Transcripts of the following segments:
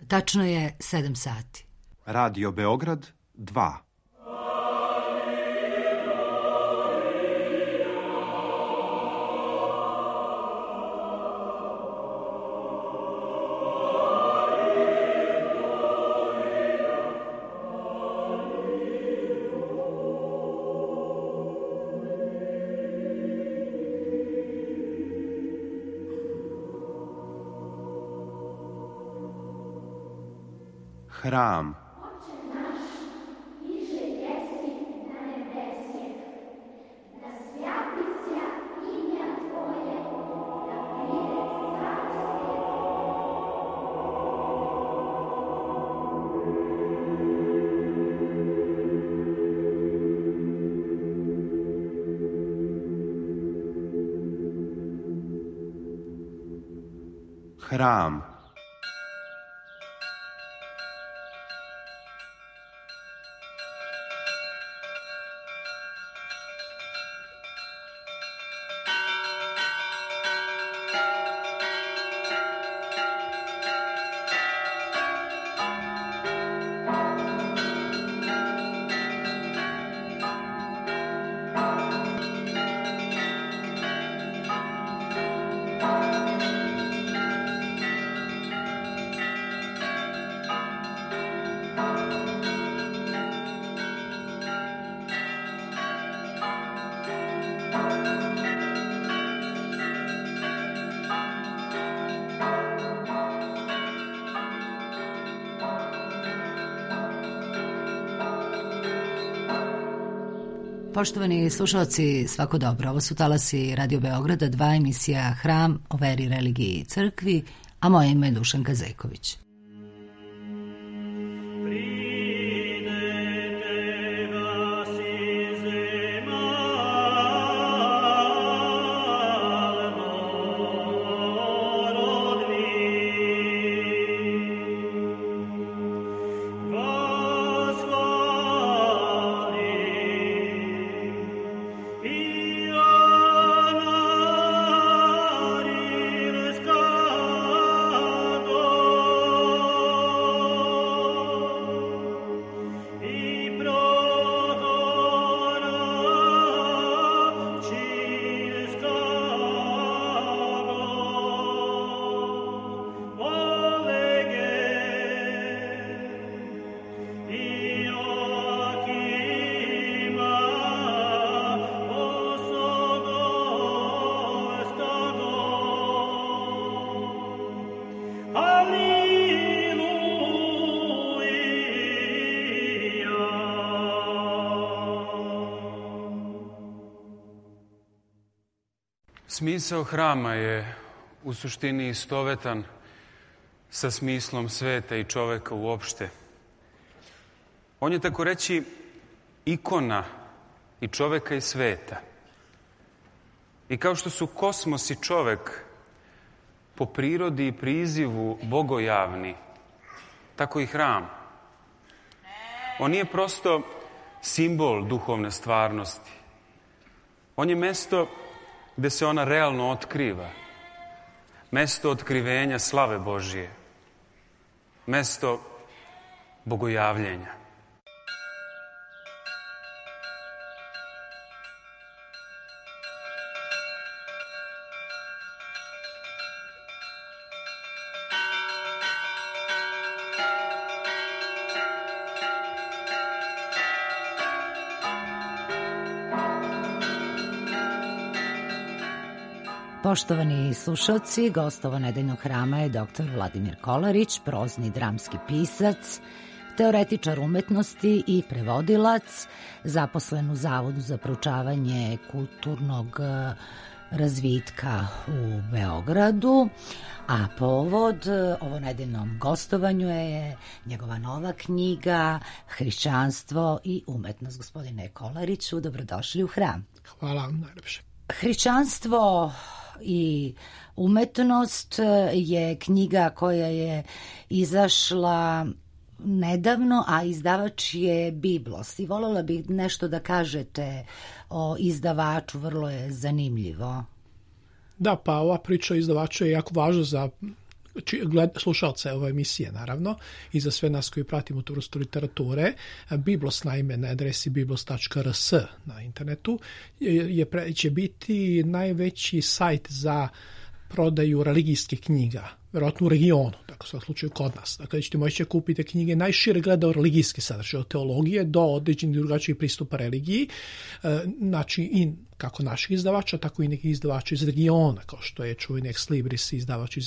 Tačno je 7 sati. Radio Beograd 2. Hram. Hram. Poštovani slušalci, svako dobro. Ovo su talasi Radio Beograda 2, emisija Hram o veri, religiji i crkvi, a moje ime je Dušanka Zejković. Smisao hrama je u suštini istovetan sa smislom sveta i čoveka uopšte. On je tako reći ikona i čoveka i sveta. I kao što su kosmos i čovek po prirodi i prizivu bogojavni, tako i hram. On nije prosto simbol duhovne stvarnosti. On je mesto gde se ona realno otkriva. Mesto otkrivenja slave Božije. Mesto bogojavljenja. Poštovani slušalci, gost ovo nedeljnog hrama je dr. Vladimir Kolarić, prozni dramski pisac, teoretičar umetnosti i prevodilac, zaposlen u Zavodu za proučavanje kulturnog razvitka u Beogradu, a povod ovo nedeljnom gostovanju je njegova nova knjiga Hrišćanstvo i umetnost. Gospodine Kolariću, dobrodošli u hram. Hvala vam najlepše. Hrišćanstvo i umetnost je knjiga koja je izašla nedavno, a izdavač je Biblos. I voljela bih nešto da kažete o izdavaču, vrlo je zanimljivo. Da, pa ova priča izdavača je jako važna za slušalce ove emisije, naravno, i za sve nas koji pratimo tu vrstu literature. Biblos, naime, na adresi biblos.rs na internetu će biti najveći sajt za prodaju religijskih knjiga, vjerojatno u regionu, dakle u slučaju kod nas. Dakle, ćete moći kupiti knjige najšire gleda o religijski sadržaj, od teologije do određenih drugačijih pristupa religiji, znači i kako naših izdavača, tako i nekih izdavača iz regiona, kao što je čuveni Ex Libris, izdavač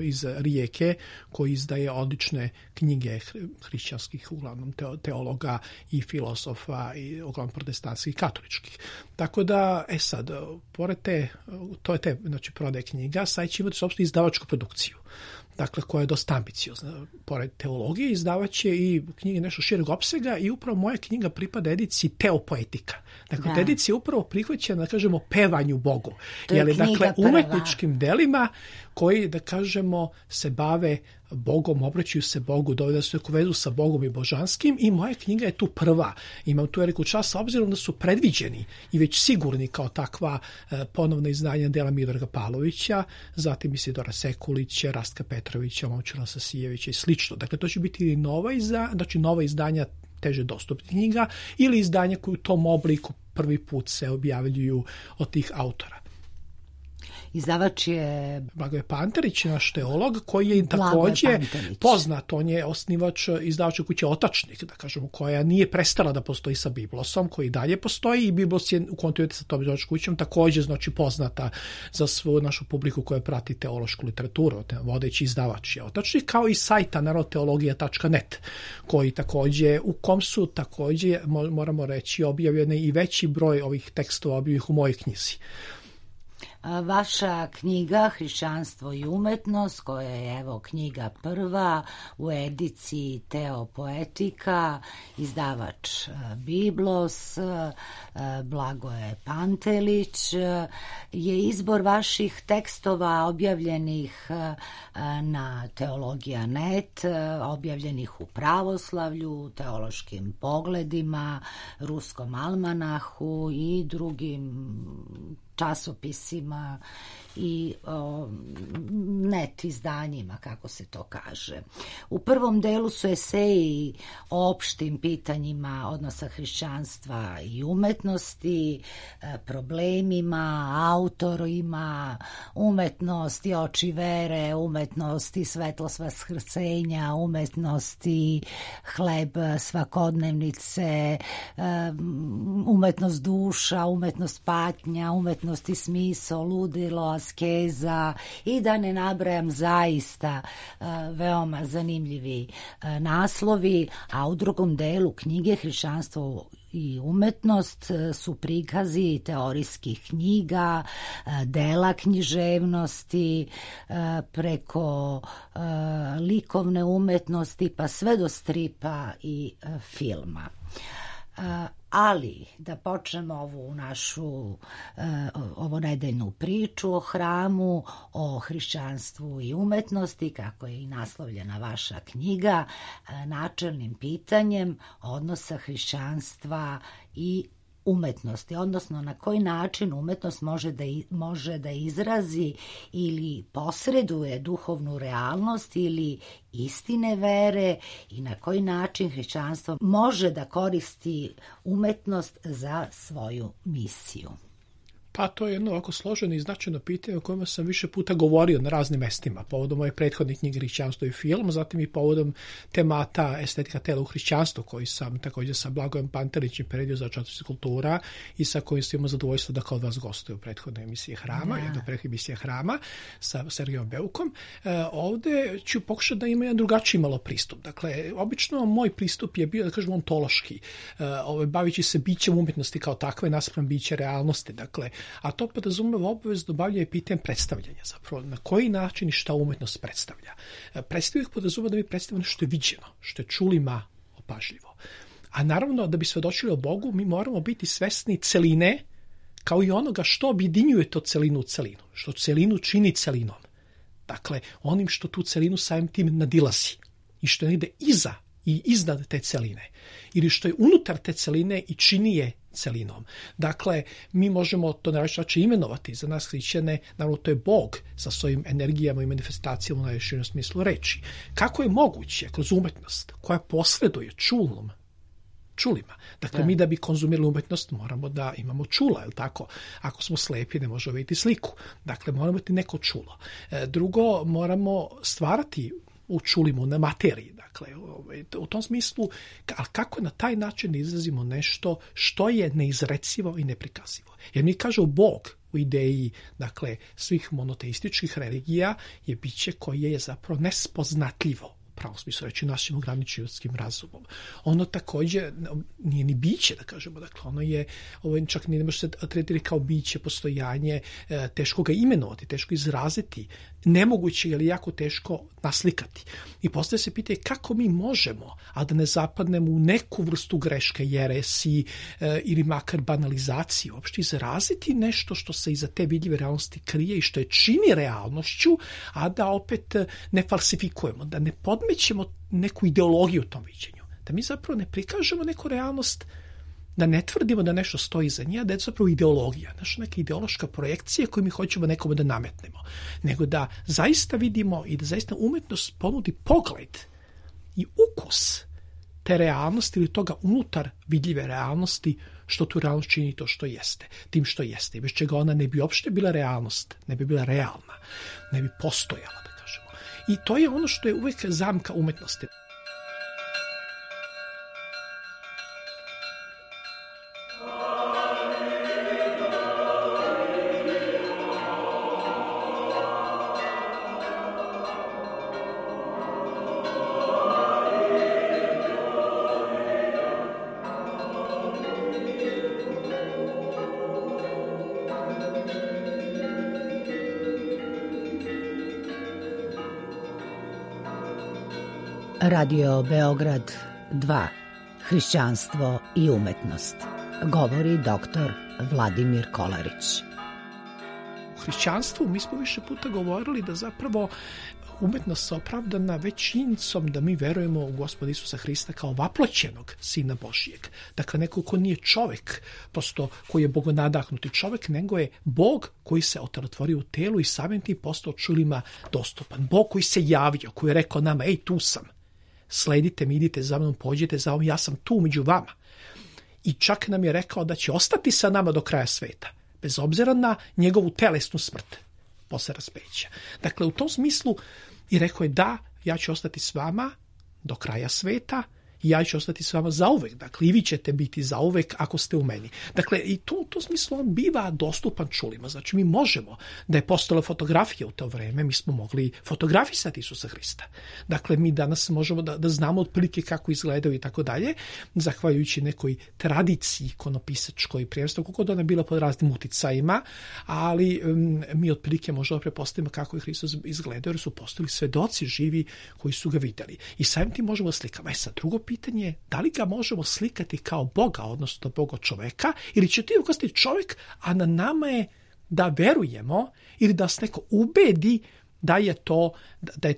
iz Rijeke, koji izdaje odlične knjige hrišćanskih, uglavnom teologa i filozofa, i uglavnom protestantskih i katoličkih. Tako da, sad, pored to je znači, prodaje knjiga, sad će imati uopšte izdavačku produkciju. Dakle, koja je dosta ambiciozna. Pored teologije izdavaće i knjige nešto šireg opsega i upravo moja knjiga pripada ediciji Teopoetika. Dakle, edicija upravo prihvaćena, da kažemo, pevanju Bogu. Dakle, umetničkim delima koji, da kažemo, se bave Bogom, obraćaju se Bogu, dovede se u vezu sa Bogom i božanskim, i moja knjiga je tu prva. Imam tu veliku čast, obzirom da su predviđeni i već sigurni kao takva ponovna izdanja dela Miodraga Pavlovića, zatim Isidora Sekulića, Rastka Petrovića, Momčila Sasijevića i slično. Dakle, to će biti nova izdanja teže dostupnih knjiga ili izdanja koji u tom obliku prvi put se objavljuju od tih autora. Izdavač je Blagoje Pantelić, naš teolog, koji je također poznat. On je osnivač izdavača kuće Otačnik, da kažemo, koja nije prestala da postoji sa Biblosom, koji dalje postoji, i Biblos je u kontinuitetu sa tom izdavačkom kućom također, znači, poznata za svu našu publiku koja prati teološku literaturu. Vodeći izdavač je Otačnik, kao i sajta narodteologija.net, koji također, u kom su također, moramo reći, objavljene i veći broj ovih tekstova objavljenih u mojoj knjizi. Vaša knjiga Hrišćanstvo i umetnost, koja je evo knjiga prva u ediciji Teopoetika, izdavač Biblos, Blagoje Pantelić, je izbor vaših tekstova objavljenih na Teologija.net, objavljenih u Pravoslavlju, Teološkim pogledima, Ruskom almanahu i drugim časopisima i net izdanjima, kako se to kaže. U prvom delu su eseji o opštim pitanjima odnosa hrišćanstva i umetnosti, problemima, autorima, umetnosti oči vere, umetnosti svetlost vaskrsenja, umetnosti hleb svakodnevnice, umetnost duša, umetnost patnja, umetnosti smisao, ludilo, askeza, i da ne nabrajam, zaista veoma zanimljivi naslovi. A u drugom delu knjige Hrišćanstvo i umetnost su prikazi teorijskih knjiga, dela književnosti, preko likovne umetnosti pa sve do stripa i filma. Ali da počnemo ovu našu ovonedeljnu priču o hramu, o hrišćanstvu i umetnosti, kako je i naslovljena vaša knjiga, načelnim pitanjem odnosa hrišćanstva i umetnosti, odnosno na koji način umetnost može da izrazi ili posreduje duhovnu realnost ili istine vere, i na koji način hrišćanstvo može da koristi umetnost za svoju misiju. Pa to je jedno ovako složeno i značajno pitanje o kojima sam više puta govorio na raznim mestima, povodom moje prethodne knjige Hrišćanstvo i film, zatim i povodom temata estetika tela u hrišćanstvu, koji sam također sa Blagojem Pantelićem predio za časopis Kultura i sa kojim sam imao zadovoljstvo da kod vas gostuje u prethodnoj emisiji Hrama, jedno prethodne emisije Hrama sa Sergejom Beukom. Ovde ću pokušati da ima jedan drugačiji malo pristup. Dakle, obično moj pristup je bio, da kažem, ontološki, bavići se bićem umjetnosti kao takve naspram bića realnosti. Dakle, a to podrazumeva obavezno bavljanje pitanjem predstavljanja, zapravo na koji način i šta umetnost predstavlja. Predstavljanje podrazumeva da mi predstavljamo što je viđeno, što je čulima opažljivo. A naravno, da bi svedočili o Bogu, mi moramo biti svesni celine, kao i onoga što objedinjuje to celinu u celinu, što celinu čini celinom. Dakle, onim što tu celinu samim tim nadilazi i što je negde iza i iznad te celine, ili što je unutar te celine i čini je celinom. Dakle, mi možemo to na različit imenovati. Za nas hrišćane, naravno, to je Bog sa svojim energijama i manifestacijama u najvišem smislu reči. Kako je moguće kroz umetnost koja posreduje čulima. Dakle, mi da bi konzumirali umetnost moramo da imamo čula, je li tako? Ako smo slepi, ne možemo vidjeti sliku. Dakle, moramo imati neko čulo. Drugo, moramo stvarati u čulima, na materiji. Dakle, u tom smislu, ali kako na taj način izrazimo nešto što je neizrecivo i neprikazivo. Jer mi kažemo Bog u ideji, dakle, svih monoteističkih religija je biće koje je zapravo nespoznatljivo. Pravo smislu reći našim ograničenim ljudskim razumom. Ono također nije ni biće, da kažemo, dakle ono je, čak ne može se tretirati kao biće, postojanje, teško ga imenovati, teško izraziti, nemoguće ili jako teško naslikati. I postavlja se pitanje kako mi možemo, a da ne zapadnemo u neku vrstu greške, jeresi ili makar banalizaciju, uopšte izraziti nešto što se iza te vidljive realnosti krije i što je čini realnošću, a da opet ne falsifikujemo, da ne podmećemo neku ideologiju u tom viđenju. Da mi zapravo ne prikažemo neku realnost, da ne tvrdimo da nešto stoji iza nje, da je zapravo ideologija, neka ideološka projekcija koju mi hoćemo nekome da nametnemo. Nego da zaista vidimo i da zaista umetnost ponudi pogled i ukus te realnosti ili toga unutar vidljive realnosti, što tu realnost čini to što jeste, tim što jeste. I bez čega ona ne bi uopšte bila realnost, ne bi bila realna, ne bi postojala, da kažemo. I to je ono što je uvijek zamka umetnosti. Radio Beograd 2. Hrišćanstvo i umetnost. Govori doktor Vladimir Kolarić. U hrišćanstvu mi smo više puta govorili da zapravo umetnost se opravdana već činjenicom da mi verujemo u Gospoda Isusa Hrista kao vaploćenog Sina Božijeg. Dakle, neko ko nije čovek, prosto koji je bogonadahnuti čovek, nego je Bog koji se otelotvorio u telu i samim tim postao čulima dostupan. Bog koji se javio, koji je rekao nama, ej, tu sam. Sledite mi, idite za mnom, pođite za mnom, ja sam tu među vama. I čak nam je rekao da će ostati sa nama do kraja sveta, bez obzira na njegovu telesnu smrt posle raspeća. Dakle, u tom smislu i rekao je da, ja ću ostati s vama do kraja sveta i ja ću ostati s vama zauvek. Dakle, i vi ćete biti zauvek ako ste u meni. Dakle, i u tom smislu on biva dostupan čulima. Znači, mi možemo, da je postojala fotografija u to vreme, mi smo mogli fotografisati Isusa Hrista. Dakle, mi danas možemo da znamo otprilike kako izgledaju i tako dalje, zahvaljujući nekoj tradiciji ikonopisačkoj prijevstva, kako god ona bila pod raznim uticajima, ali mi otprilike možemo prepostaviti kako je Hristos izgledao, jer su postojali svedoci živi koji su ga videli. I samim tim možemo slikati. Sad, drugo pitanje je da li ga možemo slikati kao Boga, odnosno Boga čoveka, ili će to ukazati čovjek, a na nama je da verujemo ili da se neko ubedi da je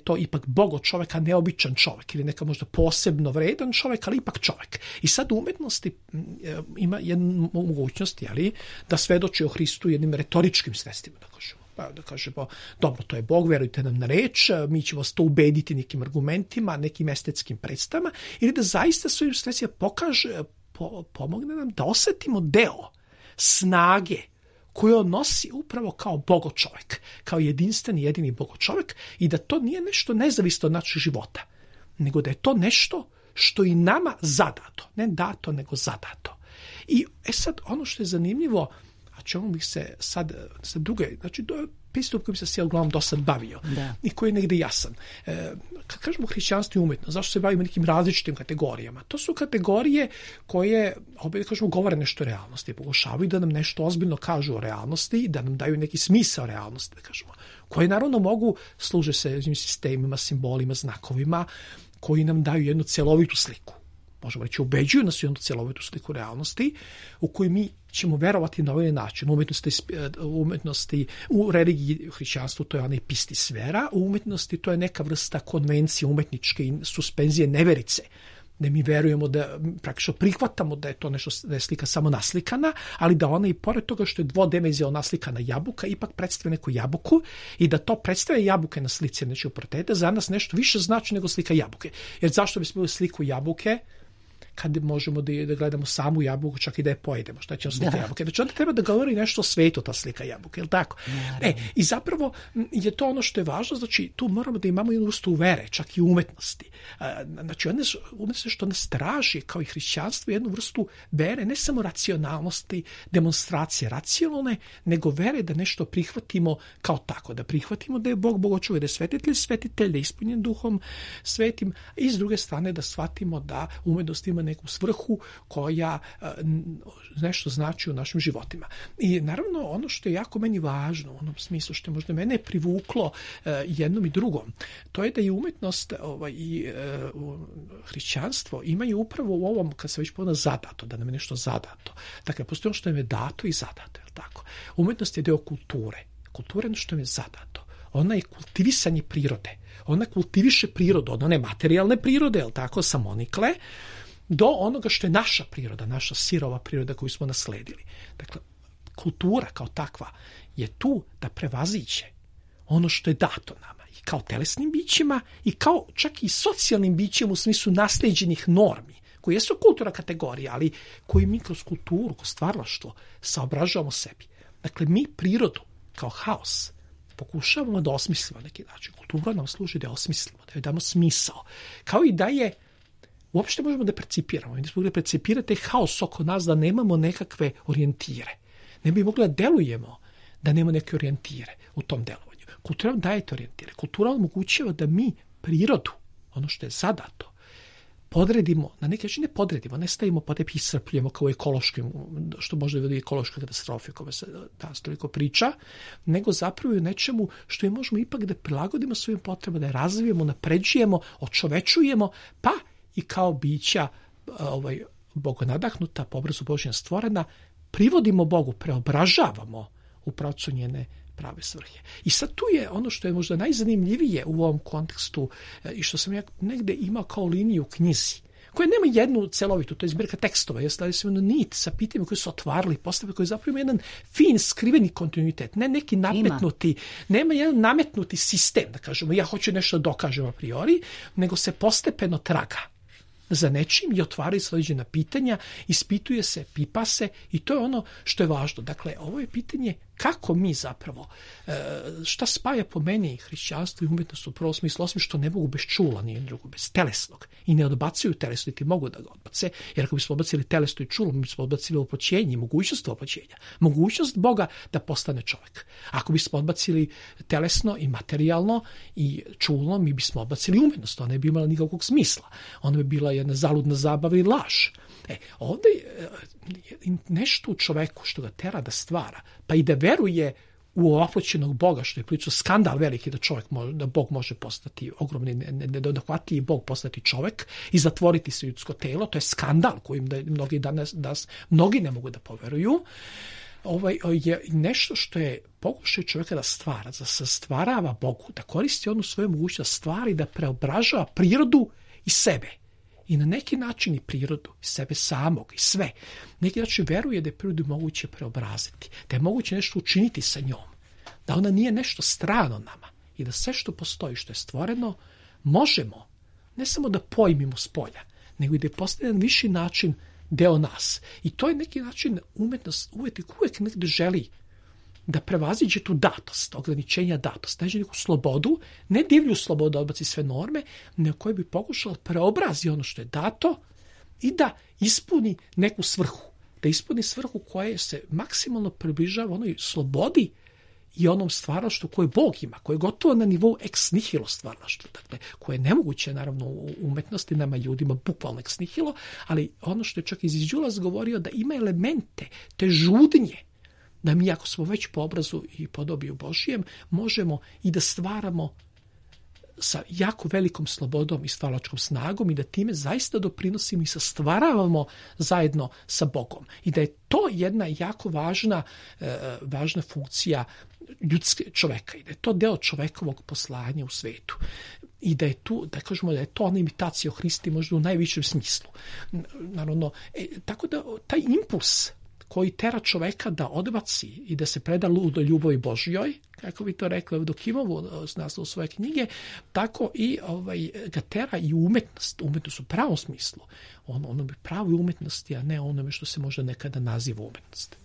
to ipak Bogo čovjek, a neobičan čovjek, ili neka možda posebno vredan čovjek, ali ipak čovjek. I sad u umetnosti ima jednu mogućnost, da svedoči o Hristu jednim retoričkim sredstvima, da kažemo, dobro, to je Bog, verujte nam na reč, mi ćemo vas to ubediti nekim argumentima, nekim estetskim predstavama, ili da zaista svojim sredstvima pomogne nam da osetimo deo snage koju on nosi upravo kao Bogo čovjek, kao jedinstveni, jedini Bogo čovjek, i da to nije nešto nezavisno od našeg života, nego da je to nešto što i nama zadato, ne dato, nego zadato. I sad ono što je zanimljivo, a čemu bih se sad druge, znači to je pristup kojim se uglavnom do sad bavio i koji je negdje jasan. Kad kažemo hrišćanstvo i umetnost, zašto se bavimo nekim različitim kategorijama? To su kategorije koje, opet kažemo, govore nešto o realnosti, pokušavaju da nam nešto ozbiljno kažu o realnosti, da nam daju neki smisao realnosti, da kažemo, koje naravno mogu služe se sistemima, simbolima, znakovima, koji nam daju jednu celovitu sliku. Možemo reći, ubeđuju nas u jednu celovitu sliku realnosti u kojoj mi ćemo verovati na ovaj način. Umetnosti, u religiji, u hrišćanstvu to je ona epistisfera, u umetnosti to je neka vrsta konvencije umetničke i suspenzije neverice. da mi verujemo da praktično prihvatamo da je to nešto, da je slika samo naslikana, ali da ona i pored toga što je dvodimenzionalno naslikana jabuka ipak predstavlja neku jabuku i da to predstavlja jabuke na slici, znači u portreta za nas nešto više znači nego slika jabuke. Jer zašto bismo imali sliku jabuke kad možemo da gledamo samu jabuku, čak i da je pojedemo, šta će nam slika jabuke. Znači onda treba da govori nešto o svetu ta slika jabuke, je li tako? I zapravo je to ono što je važno, znači tu moramo da imamo jednu vrstu vere, čak i umetnosti. Znači umetnost što nas traži, kao i hrišćanstvo, jednu vrstu vere, ne samo racionalnosti, demonstracije racionalne, nego vere da nešto prihvatimo kao tako, da prihvatimo da je Bog Bogočuvaj, da je svetitelj, da je ispunjen Duhom Svetim, i s druge strane da shvatimo da umetnost ima neku svrhu koja nešto znači u našim životima. I naravno ono što je jako meni važno u onom smislu što je možda mene privuklo jednom i drugom, to je da i umetnost i hrišćanstvo imaju upravo u ovom, kad se već povedano, zadato, da nam je nešto zadato. Dakle, postoji ono što nam je dato i zadato, je li tako? Umetnost je deo kulture. Kultura je ono što nam je zadato. Ona je kultivisanje prirode. Ona kultiviše prirodu, od one materijalne prirode, je li tako, samonikle, do onoga što je naša priroda, naša sirova priroda koju smo nasledili. Dakle, kultura kao takva je tu da prevaziđe ono što je dato nama i kao telesnim bićima i kao čak i socijalnim bićima u smislu nasleđenih normi, koje jesu kulturna kategorija, ali koji mi kroz kulturu, kroz stvaralaštvo saobražavamo sebi. Dakle, mi prirodu kao haos pokušavamo da osmislimo na neki način. Kultura nam služi da osmislimo, da joj damo smisao. Kao i da je uopšte možemo da percipiramo. Mi smo mogli percipirati haos oko nas, da nemamo nekakve orijentire. Ne bi mogli da delujemo da nema neke orijentire u tom delovanju. Kultura nam daje te orijentire. Kultura omogućava da mi prirodu, ono što je zadato, podredimo, na neki način ne podredimo, ne stavimo pa tebi iscrpljujemo kao ekološkim, što može da vodi ekološka katastrofa, kome se danas toliko priča, nego zapravo u nečemu što je možemo ipak da prilagodimo svojim potrebama, da je razvijemo, napređujemo, očovečujemo, pa i kao bića bogonadahnuta, po obrazu Božjem stvorena, privodimo Bogu, preobražavamo u pravcu njene prave svrhe. I sad tu je ono što je možda najzanimljivije u ovom kontekstu i što sam ja negde imao kao liniju u knjizi, koja nema jednu celovitu, to je zbirka tekstova, ja stavio sam jednu nit sa pitanjima koji su otvarali postave, koji zapravo ima jedan fin, skriveni kontinuitet, ne neki nametnuti, nema jedan nametnuti sistem, da kažemo, ja hoću nešto da dokažem a priori, nego se postepeno traga za nečim i otvaraju sledećena pitanja, ispituje se, pipa se i to je ono što je važno. Dakle, ovo je pitanje kako mi zapravo, šta spaja po meni hrišćanstvo i umetnost u prvom smislu, osim što ne mogu bez čula, nije drugo, bez telesnog i ne odbacuju telesno, niti mogu da ga odbace, jer ako bismo odbacili telesno i čulo, mi bismo odbacili opoćenje, mogućnost opoćenja, mogućnost Boga da postane čovjek. Ako bismo odbacili telesno i materijalno i čulno, mi bismo odbacili umetnost, ona ne bi imala nikakvog smisla. Ona bi bila jedna zaludna zabava i laž. Ovdje je nešto u čoveku što ga tera da stvara, pa i da veruje u ovoploćenog Boga, što je prilično skandal veliki da Bog može postati ogromni, nedohvatljivi Bog postati čovek i zatvoriti se ljudsko telo, to je skandal kojim mnogi ne mogu da poveruju. Je nešto što je pokušaj čovjeka da stvara, da se stvarava Bogu, da koristi onu svoju mogućnost stvari, da preobražava prirodu i sebe. I na neki način i prirodu, i sebe samog, i sve. Neki način veruje da je prirodu moguće preobraziti, da je moguće nešto učiniti sa njom, da ona nije nešto strano nama i da sve što postoji, što je stvoreno, možemo ne samo da pojmimo s polja, nego i da je postane na viši način deo nas. I to je neki način umetnost, uvijek negde želi da prevaziđe tu datost, ograničenja datost, neće neku slobodu, ne divlju slobodu da odbaci sve norme, nego koji bi pokušala preobrazi ono što je dato i da ispuni neku svrhu. Da ispuni svrhu koja se maksimalno približava onoj slobodi i onom stvaralaštvu koje Bog ima, koje je gotovo na nivou ex nihilo stvaralaštva, dakle, koje je nemoguće naravno u umetnosti, nama ljudima bukvalno ex nihilo, ali ono što je čak Iziđulas govorio da ima elemente te žudnje, da mi ako smo već po obrazu i podobiju Božijem, možemo i da stvaramo sa jako velikom slobodom i stvaralačkom snagom i da time zaista doprinosimo i sastvaravamo zajedno sa Bogom. I da je to jedna jako važna funkcija čoveka i da je to deo čovekovog poslanja u svetu. I da je tu, da kažemo da je to ona imitacija o Hristi možda u najvišem smislu. Naravno, tako da taj impuls koji tera čoveka da odbaci i da se preda ludoj ljubavi Božjoj, kako bi to rekla Evdokimovu s naslovom svoje knjige, tako i ga tera i umetnost u pravom smislu. Ono bi pravi umetnosti, a ne onome što se možda nekada naziva umetnost.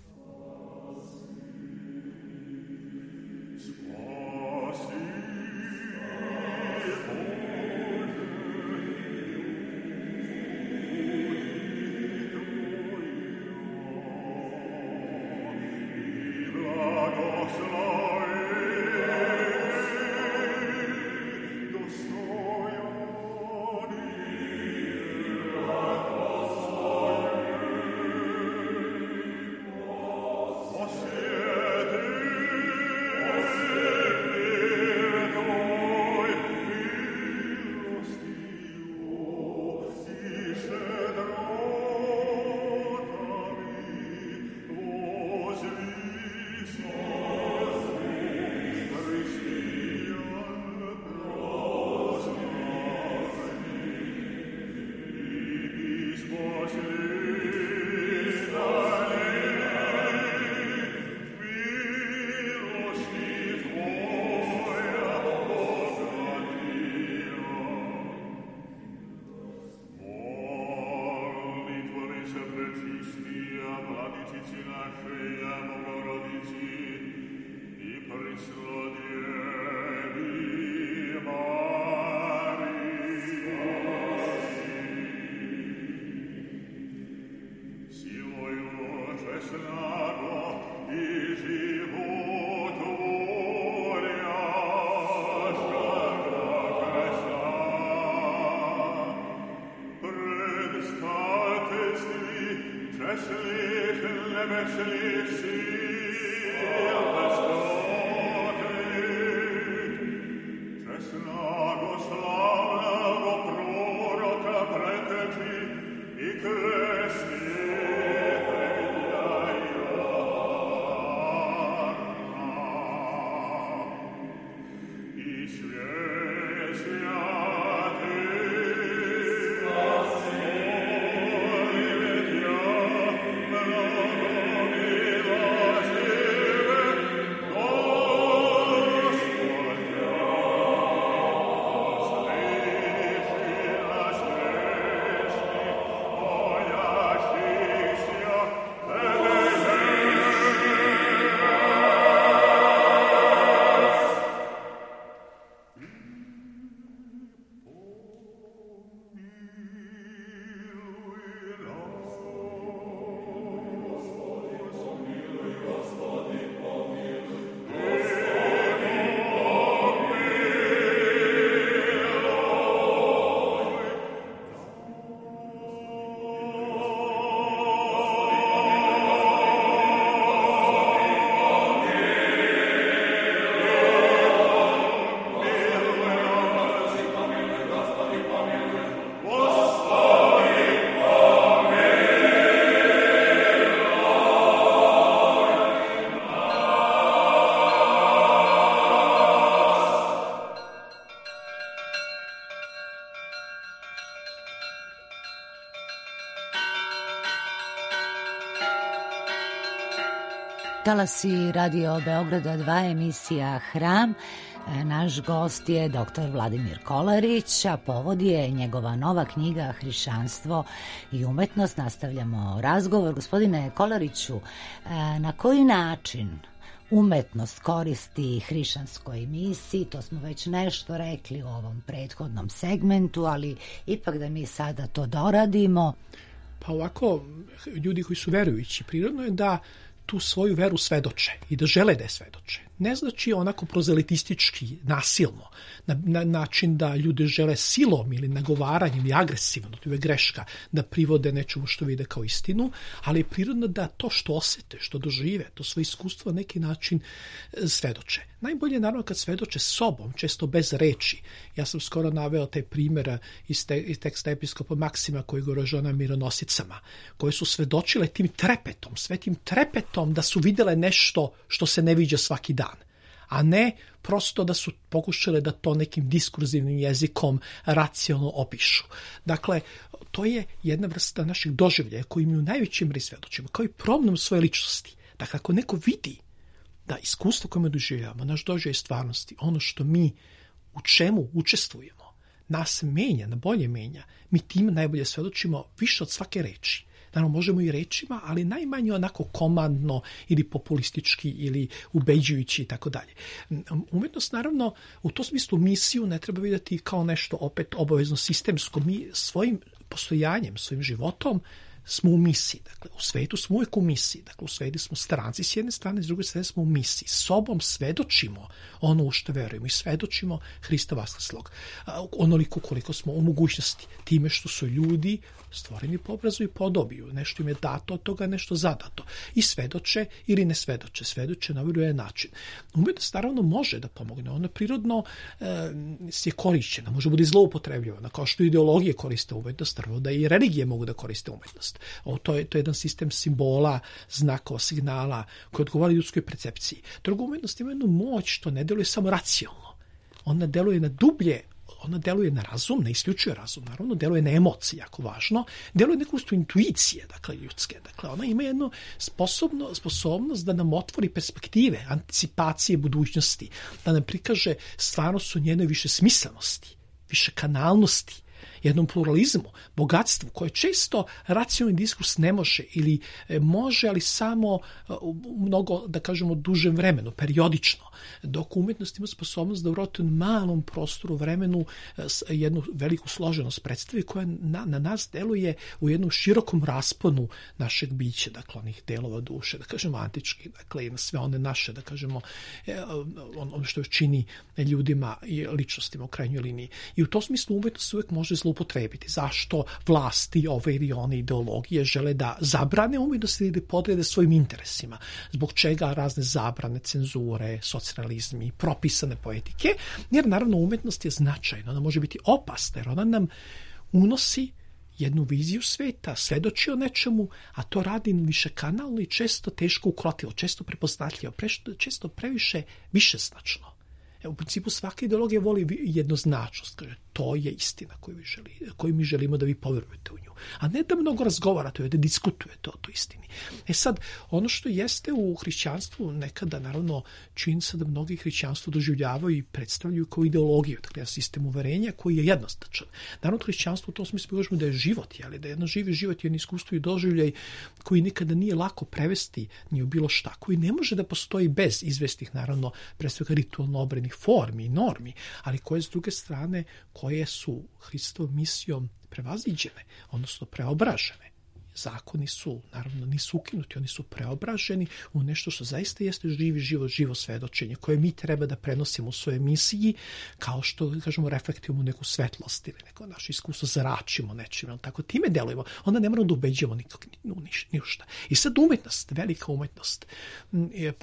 Talasi Radio Beograda 2, emisija Hram. Naš gost je dr. Vladimir Kolarić, a povod je njegova nova knjiga Hrišćanstvo i umetnost. Nastavljamo razgovor. Gospodine Kolariću, na koji način umetnost koristi hrišćanskoj misiji? To smo već nešto rekli u ovom prethodnom segmentu, ali ipak da mi sada to doradimo. Pa ovako, ljudi koji su verujući, prirodno je da tu svoju veru svedoče i da žele da je svedoče. Ne znači onako prozelitistički, nasilno, na način da ljude žele silom ili nagovaranjem ili agresivno, to je greška, da privode nečemu što vide kao istinu, ali je prirodno da to što osete, što dožive, to svoje iskustvo na neki način svedoče. Najbolje je naravno kad svedoče sobom, često bez reči. Ja sam skoro naveo taj primjer iz teksta episkopa Maksima koji govori o mironosicama, koje su svedočile tim trepetom, svetim trepetom da su videle nešto što se ne viđa svaki dan. a ne prosto da su pokušale da to nekim diskurzivnim jezikom racionalno opišu. Dakle, to je jedna vrsta našeg doživljaja koji mi u najvećem meri svedočimo, kao i promjenom svoje ličnosti. Dakle, ako neko vidi da iskustvo koje mi doživljavamo, naš doživljaj stvarnosti, ono što mi u čemu učestvujemo, nas menja, na bolje menja, mi tim najbolje svedočimo više od svake reči. Naravno, možemo i rečima, ali najmanje onako komandno ili populistički ili ubeđujući i tako dalje. Umetnost, naravno, u tom smislu misiju ne treba vidjeti kao nešto opet obavezno sistemsko. Mi svojim postojanjem, svojim životom smo u misiji. Dakle, u svetu smo uvijek u misiji. Dakle, u svetu smo stranci s jedne strane, s druge strane smo u misiji. Sobom svedočimo ono u što verujemo i svedočimo Hrista vaskrslog. Onoliko koliko smo u mogućnosti. Time što su ljudi stvoreni po obrazu i podobiju. Nešto im je dato od toga, nešto zadato. I svedoče ili ne svedoče. Svedoče na vjerujem način. Umetnost naravno može da pomogne. Ona prirodno je korišćena. Može bude zloupotrebljivana. Kao što ideologije koriste umetnost, naravno da i religije mogu da koriste umetnost. To je jedan sistem simbola, znakova, signala koji odgovara ljudskoj percepciji. Druga umetnost ima jednu moć što ne deluje samo racionalno. Ona deluje na dublje, ona deluje na razum, ne isključuje razum, naravno, deluje na emocije, jako važno, deluje neku vrstu intuicije, dakle, ljudske. Dakle, ona ima jednu sposobnost da nam otvori perspektive, anticipacije budućnosti, da nam prikaže stvarnost u njenoj više smislenosti, više kanalnosti, jednom pluralizmu, bogatstvu koje često racionalni diskurs ne može ili može, ali samo u mnogo, da kažemo, dužem vremenu, periodično, dok umjetnost ima sposobnost da u relativno malom prostoru vremenu jednu veliku složenost predstavi koja na nas deluje u jednom širokom rasponu našeg bića, dakle onih delova duše, da kažemo antički, dakle i na sve one naše, da kažemo ono što čini ljudima i ličnostima u krajnjoj liniji. I u tom smislu umjetnost uvijek može zloupotrebiti. Zašto vlasti ove ili one ideologije žele da zabrane umjetnost ili da podrede svojim interesima? Zbog čega razne zabrane, cenzure, socijalizmi, propisane poetike? Jer naravno umjetnost je značajna, ona može biti opasna jer ona nam unosi jednu viziju sveta, svedoči o nečemu, a to radi višekanalno i često teško ukrotivo, često prepoznatljivo, često previše višeznačno. U principu svaka ideologija voli jednoznačnost, kaže to je istina koju mi želimo da vi poverujete u nju, a ne da mnogo razgovarate, da diskutujete o toj istini. Sad, ono što jeste u hrišćanstvu nekada, naravno, čini se da mnogi hrišćanstvo doživljavaju i predstavljaju kao ideologiju, dakle, sistem uverenja koji je jednoznačan. Naravno, hrišćanstvo u tom smislu kažemo da je život, ali da je jedno živi život, jedno iskustvo i doživljaj koji nikada nije lako prevesti ni u bilo šta, koji ne može da postoji bez izvestih, naravno, pre svega ritualno obrednih formi i normi, ali koje s druge strane koje su Hristovom misijom prevaziđene, odnosno preobražene. Zakoni su, naravno, nisu ukinuti, oni su preobraženi u nešto što zaista jeste živi život, živo svedočenje, koje mi treba da prenosimo u svojoj misiji, kao što, kažemo, reflektujemo neku svetlost ili neko naše iskustvo zračimo nečim, tako time delujemo. Onda ne moramo da ubeđujemo ništa. I sad umetnost, velika umetnost,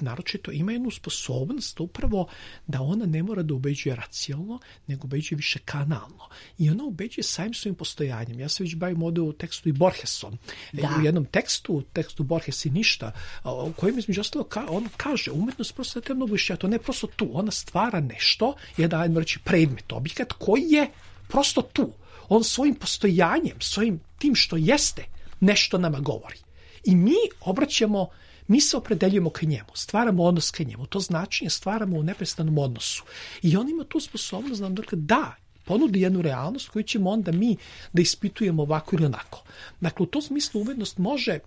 naročito ima jednu sposobnost upravo da ona ne mora da ubeđuje racionalno, nego ubeđuje više kanalno. I ona ubeđuje samim svojim postojanjem. Ja se već bavim ovdje u tekstu i Borgesom. U jednom tekstu Borges i ništa, u kojem između ostalo on kaže, umetnost prosto da te mnogo više, to ne prosto tu, ona stvara nešto, jedan, ajmo reći, predmet, objekat koji je prosto tu. On svojim postojanjem, svojim tim što jeste, nešto nama govori. I mi se opredeljujemo ka njemu, stvaramo odnos ka njemu, to značenje stvaramo u neprestanom odnosu. I on ima tu sposobnost da nam da ponudi jednu realnost koju ćemo onda mi da ispitujemo ovako ili onako. Dakle, u tom smislu umetnost može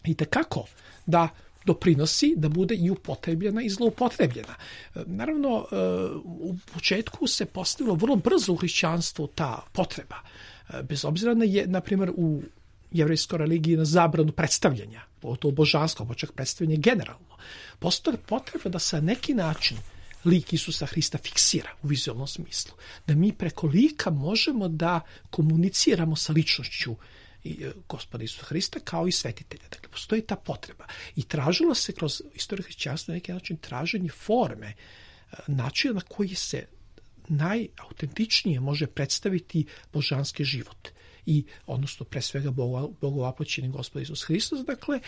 i tekako da doprinosi da bude i upotrebljena i zloupotrebljena. Naravno, u početku se postavilo vrlo brzo u hrišćanstvu ta potreba. Bez obzira na primjer, u jevrejskoj religiji na zabranu predstavljanja, to božansko, pa čak predstavljanje generalno. Postoji potreba da sa neki način lik Isusa Hrista fiksira u vizualnom smislu. Da mi preko lika možemo da komuniciramo sa ličnošću Gospoda Isusa Hrista kao i svetitelja. Dakle, postoji ta potreba. I tražilo se kroz istoriju hrišćanstva na neki način traženje forme, načina na koji se najautentičnije može predstaviti božanski život. i odnosno pre svega Bogovapoćeni Gospod Isus Hristos, dakle,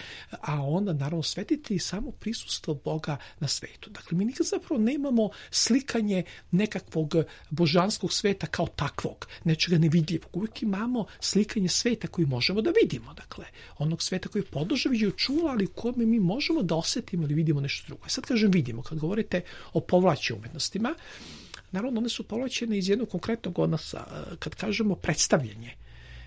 a onda naravno svetitelji samo prisustvo Boga na svetu. Dakle, mi nikad zapravo nemamo slikanje nekakvog božanskog sveta kao takvog, nečega nevidljivog. Uvijek imamo slikanje sveta koji možemo da vidimo, dakle, onog sveta koji je podložan viđaju čula, ali u kome mi možemo da osetimo ili vidimo nešto drugo. Sad kažem vidimo, kad govorite o povlačenim umetnostima, naravno one su povlačene iz jednog konkretnog odnosa. Kad kažemo predstavljanje,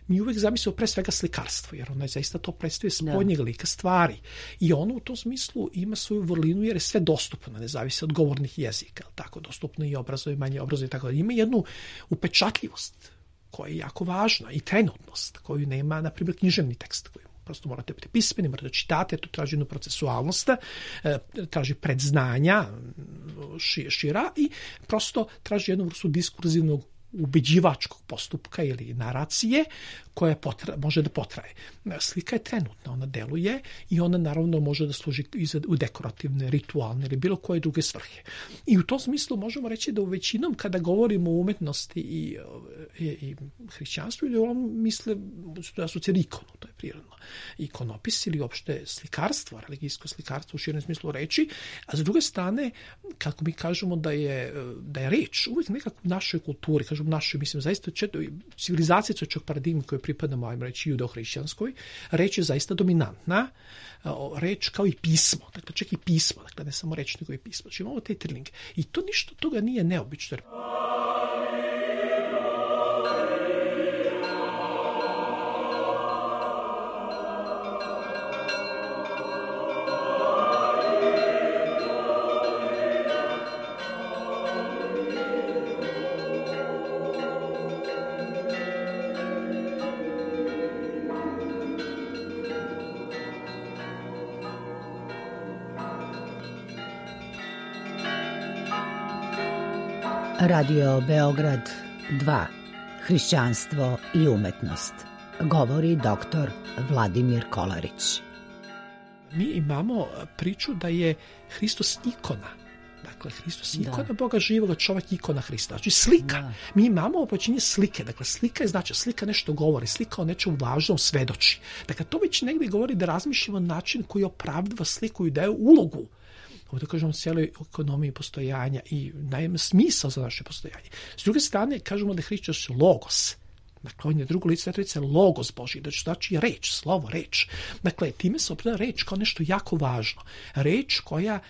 mi uvijek zamislimo pre svega slikarstvo, jer ona je zaista to predstavlja spoljnjeg lika stvari. I ono u tom smislu ima svoju vrlinu jer je sve dostupno, ne zavisi od govornih jezika, tako dostupno i obrazove, manje obrazove, tako da ima jednu upečatljivost koja je jako važna i trenutnost koju nema, na primjer, književni tekst koji prosto morate biti pismeni, morate čitate, to traži jednu procesualnost, traži predznanja šira i prosto traži jednu vrstu diskurzivnog ubeđivačkog postupka ili naracije koja može da potraje. Slika je trenutna, ona deluje i ona naravno može da služi u dekorativne, ritualne ili bilo koje druge svrhe. I u tom smislu možemo reći da u većinom kada govorimo o umetnosti i hrišćanstvu, ili misle da su ikonu, to je prirodno. Ikonopis ili uopšte slikarstvo, religijsko slikarstvo u širem smislu reči, a za druge strane, kako mi kažemo da je reč uvijek nekako u našoj kulturi, kažemo našoj, mislim, zaista civilizacija čak paradigma koje pripadamo, ajmo reći, judeo-hrišćanskoj, reč je zaista dominantna, reč kao i pismo, dakle čak i pismo, dakle ne samo reč nego i pismo. Znači imamo taj triling. I to ništa toga nije neobično. Radio Beograd 2. Hrišćanstvo i umetnost. Govori doktor Vladimir Kolarić. Mi imamo priču da je Hristos ikona. Dakle, Hristos je ikona Boga živoga, čovjek ikona Hrista. Znači slika. Da. Mi imamo opočinje slike. Dakle, slika je znači slika nešto govori, slika o nečem važnom svedoči. Dakle, to već negdje govori da razmišljamo način koji opravdava sliku i daje ulogu. Ovdje kažemo cijeloj ekonomiji postojanja i daje smisao za naše postojanje. S druge strane, kažemo da je Hristos logos. Dakle, on je drugo lice Trojice, logos Božji, znači reč, slovo, reč. Dakle, time se opravdava reč kao nešto jako važno. Reč koja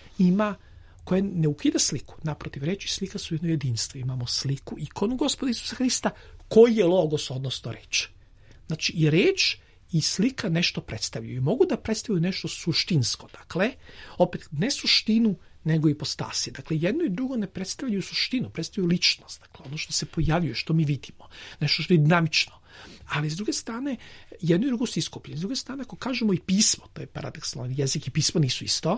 ne ukida sliku. Naprotiv, reč i slika su jedno jedinstvo. Imamo sliku, ikonu Gospoda Isusa Hrista, koji je logos, odnosno reč. Znači, i reč i slika nešto predstavljaju. I mogu da predstavljaju nešto suštinsko. Dakle, opet, ne suštinu, nego ipostasi. Dakle, jedno i drugo ne predstavljaju suštinu, predstavljaju ličnost. Dakle, ono što se pojavljuje, što mi vidimo. Nešto što je dinamično. Ali, s druge strane, jedno i drugo su iskopljeni. S druge strane, ako kažemo i pismo, to je paradoksalno, jezik i pismo nisu isto.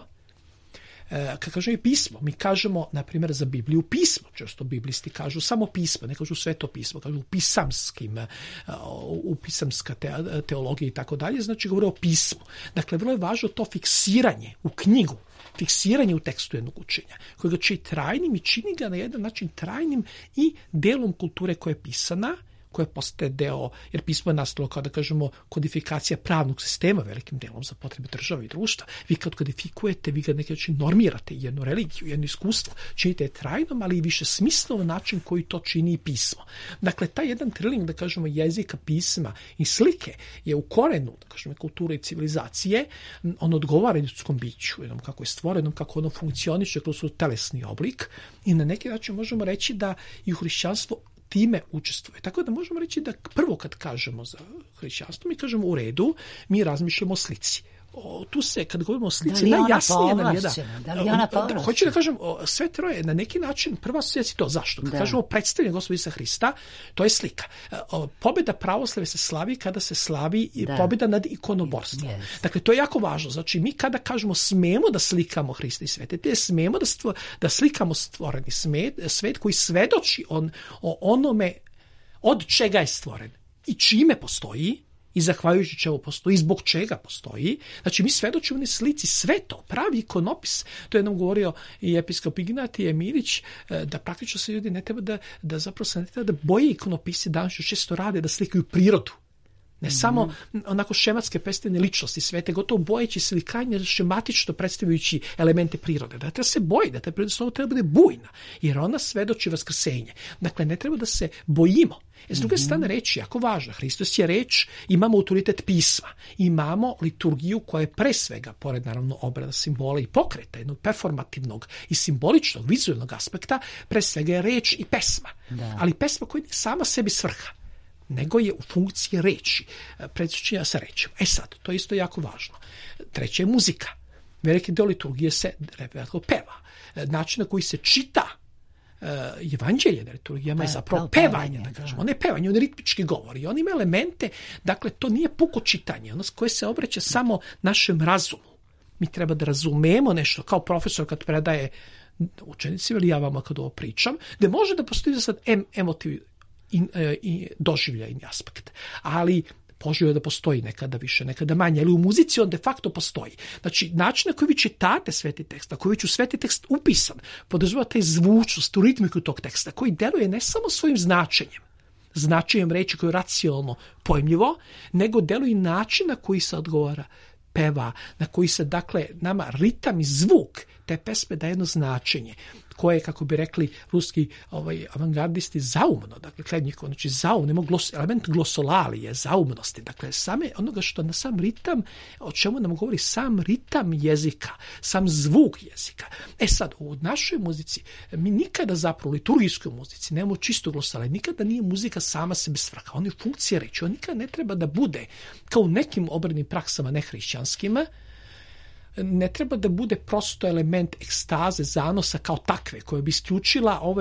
Kad kažemo i pismo, mi kažemo, na primjer, za Bibliju pismo, često biblisti kažu samo pismo, ne kažu sveto pismo, kažu pisamska teologija i tako dalje, znači govore o pismu. Dakle, vrlo je važno to fiksiranje u knjigu, fiksiranje u tekstu jednog učenja, koje ga čini trajnim i čini ga na jedan način trajnim i delom kulture koja je pisana, koja postaje deo, jer pismo je nastalo kao da kažemo kodifikacija pravnog sistema velikim delom za potrebe države i društva. Vi kad kodifikujete, vi ga neki način normirate jednu religiju, jedno iskustvo, činite je trajnom, ali i više smislovan način koji to čini i pismo. Dakle, taj jedan triling, da kažemo, jezika, pisma i slike je u korenu, da kažemo, kulture i civilizacije, on odgovara ljudskom biću, jednom kako je stvoreno, kako ono funkcioniše kroz telesni oblik i na neki način možemo reći da i u hrišćanstvo time učestvuje. Tako da možemo reći da prvo kad kažemo za hrišćanstvo, mi kažemo u redu, mi razmišljamo o slici. Tu se, kad govorimo o slici, najjasnije nam je da li ona povlašćena? Hoću da kažem, sve troje, na neki način, prva asocijacija to. Zašto? Kad kažemo predstavljanje Gospoda Isusa Hrista, to je slika. Pobjeda pravoslave se slavi kada se slavi pobjeda nad ikonoborstvom. Yes. Dakle, to je jako važno. Znači, mi kada kažemo smemo da slikamo Hrista i svetitelje, smemo da slikamo stvoreni svet koji svedoči o onome od čega je stvoren i čime postoji, i zahvaljujući čemu postoji, i zbog čega postoji. Znači, mi svedočimo u slici sve to, pravi ikonopis. To je nam govorio i episkop Ignatije Emirić, da praktično se ljudi ne treba da zapravo se ne treba da boje ikonopisi danas često rade da slikaju prirodu. Ne samo onako šematske predstavljene ličnosti svete, gotovo bojeći se ili krajnje šematično predstavljajući elemente prirode. Da treba se boji, da treba da bude bujna, jer ona svedoči vaskrsenje. Dakle, ne treba da se bojimo. S druge strane, reč je jako važna. Hristos je reč, imamo autoritet pisma, imamo liturgiju koja je pre svega, pored naravno obrada simbola i pokreta, jednog performativnog i simboličnog, vizualnog aspekta, pre svega je reč i pesma. Da. Ali pesma koja je sama sebi svrha, nego je u funkciji reči, predsjećanja sa rečima. Sad, to je isto jako važno. Treće je muzika. Veliki deo liturgije se peva. Način na koji se čita evanđelje na liturgijama je zapravo pevanje, da kažemo. Ne pevanje, on ritmički govori. On ima elemente, dakle, to nije puko čitanje, ono koje se obraća samo našem razumu. Mi treba da razumemo nešto, kao profesor kad predaje učenicima, ili ja vama kad ovo pričam, da može da postoji sad emotiv i doživljajni aspekt. Ali poželjno je da postoji nekada više, nekada manje, ali u muzici on de facto postoji. Znači, način na koji vi čitate sveti tekst, na koji već u sveti tekst upisan, podrazumeva taj zvučnost, tu ritmiku tog teksta, koji deluje ne samo svojim značenjem reči koje je racionalno pojmljivo, nego deluje i način na koji se odgovara, peva, na koji se, dakle, nama ritam i zvuk te pesme daje jedno značenje koje, kako bi rekli ruski avangardisti, zaumno, dakle, Klednjikov, znači zaum, element glosolalije, zaumnosti, dakle, same onoga što na sam ritam, o čemu nam govori sam ritam jezika, sam zvuk jezika. Sad, u našoj muzici, mi nikada zapravo u liturgijskoj muzici nemamo čisto glosolalije, nikada nije muzika sama sebi svrha, on je funkcija reči, on nikada ne treba da bude, kao u nekim obrednim praksama nehrišćanskima, ne treba da bude prosto element ekstaze, zanosa kao takve, koja bi isključila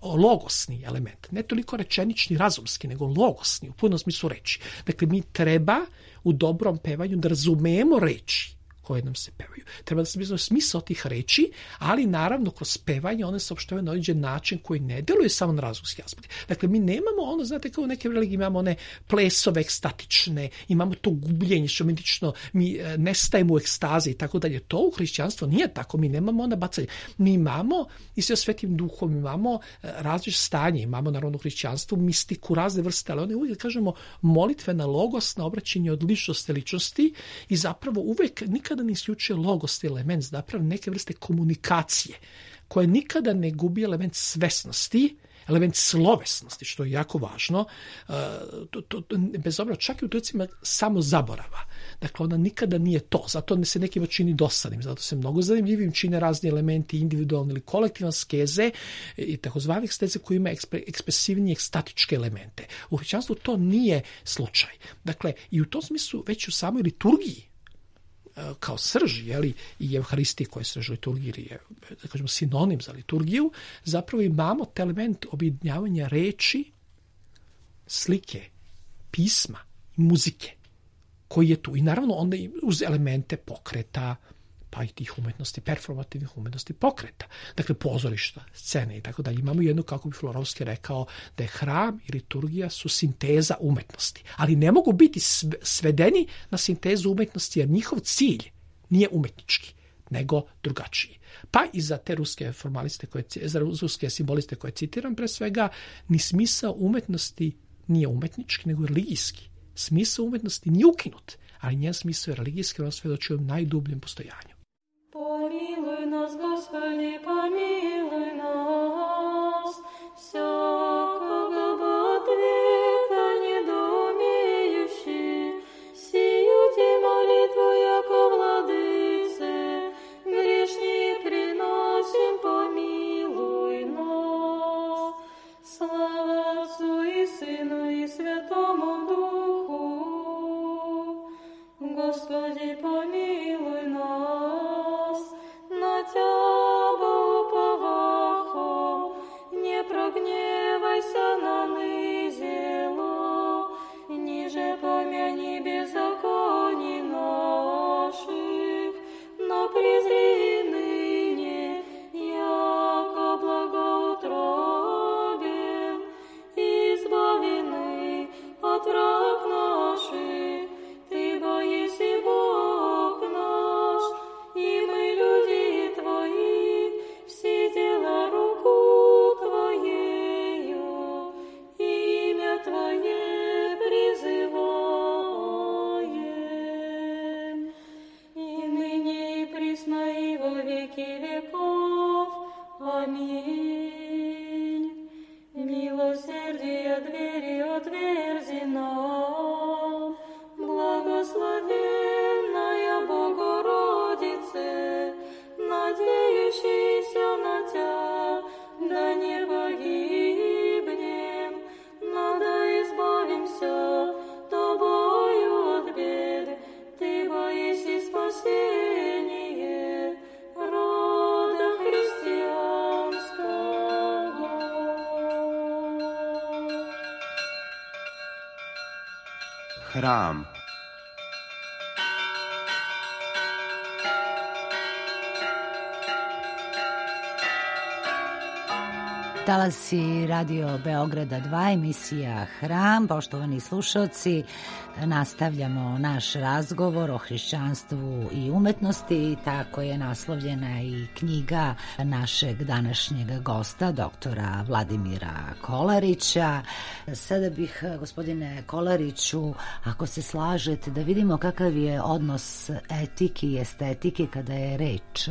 logosni element. Ne toliko rečenični, razumski, nego logosni, u punom smislu reči. Dakle, mi treba u dobrom pevanju da razumemo reči koje nam se pevaju. Treba da se bizno smisao tih reči, ali naravno kroz pevanje one se opštavaju na određen način koji ne deluje samo na razumski aspekt. Dakle, mi nemamo ono, znate, kao u neke religije imamo one plesove ekstatične, imamo to gubljenje šamentično, mi nestajemo u ekstazi i tako dalje. To u hrišćanstvu nije tako, mi nemamo onda bacanje. Mi imamo i sve svetim duhom, imamo različite stanje, imamo naravno u hrišćanstvu mistiku, razne vrste, ali one uvijek, kažemo, molitvena logosna obraćanje od ličnosti i zapravo uvijek nikada ne isključuje logos element, zapravo neke vrste komunikacije koje nikada ne gubi element svesnosti, element slovesnosti, što je jako važno, bez obzira čak i u trenucima samo zaborava. Dakle, ona nikada nije to, zato se nekima čini dosadnim, zato se mnogo zanimljivim čine razni elementi individualne ili kolektivne skeze i takozvane eksteze koji ima ekspresivnije ekstatičke elemente. U hrišćanstvu to nije slučaj. Dakle, i u tom smislu već u samoj liturgiji kao srž, i Evharistiji koja je srž liturgiji, je, da kažemo, sinonim za liturgiju, zapravo imamo te element objedinjavanja reči, slike, pisma i muzike koji je tu. I naravno onda uz elemente pokreta, pa i tih umetnosti, performativnih umetnosti pokreta. Dakle, pozorišta, scene i tako dalje. Imamo jednu, kako bi Florovski rekao, da je hram i liturgija su sinteza umetnosti. Ali ne mogu biti svedeni na sintezu umetnosti, jer njihov cilj nije umetnički, nego drugačiji. Pa i za te ruske formaliste, za ruske simboliste koje citiram, pre svega, ni smisao umetnosti nije umetnički, nego religijski. Smisao umetnosti nije ukinut, ali njen smisao je religijski, ono svedoči o najdubljem postojanju. Помилуй нас, Господи, помилуй нас, всякого бы ответа недоумеющий, сию те молитву, яко владыце, грешни приносим, помилуй нас. Слава Отцу и Сыну и Святому Духу, Господи, помилуй нас. На Тябо уповахом, не прогневайся на нызело, ниже помяни беззаконий наших, но презри ныне, яко благоутробен, избавлены от враг наших, Ты боиси Бога. Hram. Talasi Radio Beograda 2, emisija Hram. Poštovani slušalci, nastavljamo naš razgovor o hrišćanstvu i umetnosti. Tako je naslovljena i knjiga našeg današnjeg gosta, doktora Vladimira Kolarića. Sada bih, gospodine Kolariću, ako se slažete, da vidimo kakav je odnos etike i estetike kada je reč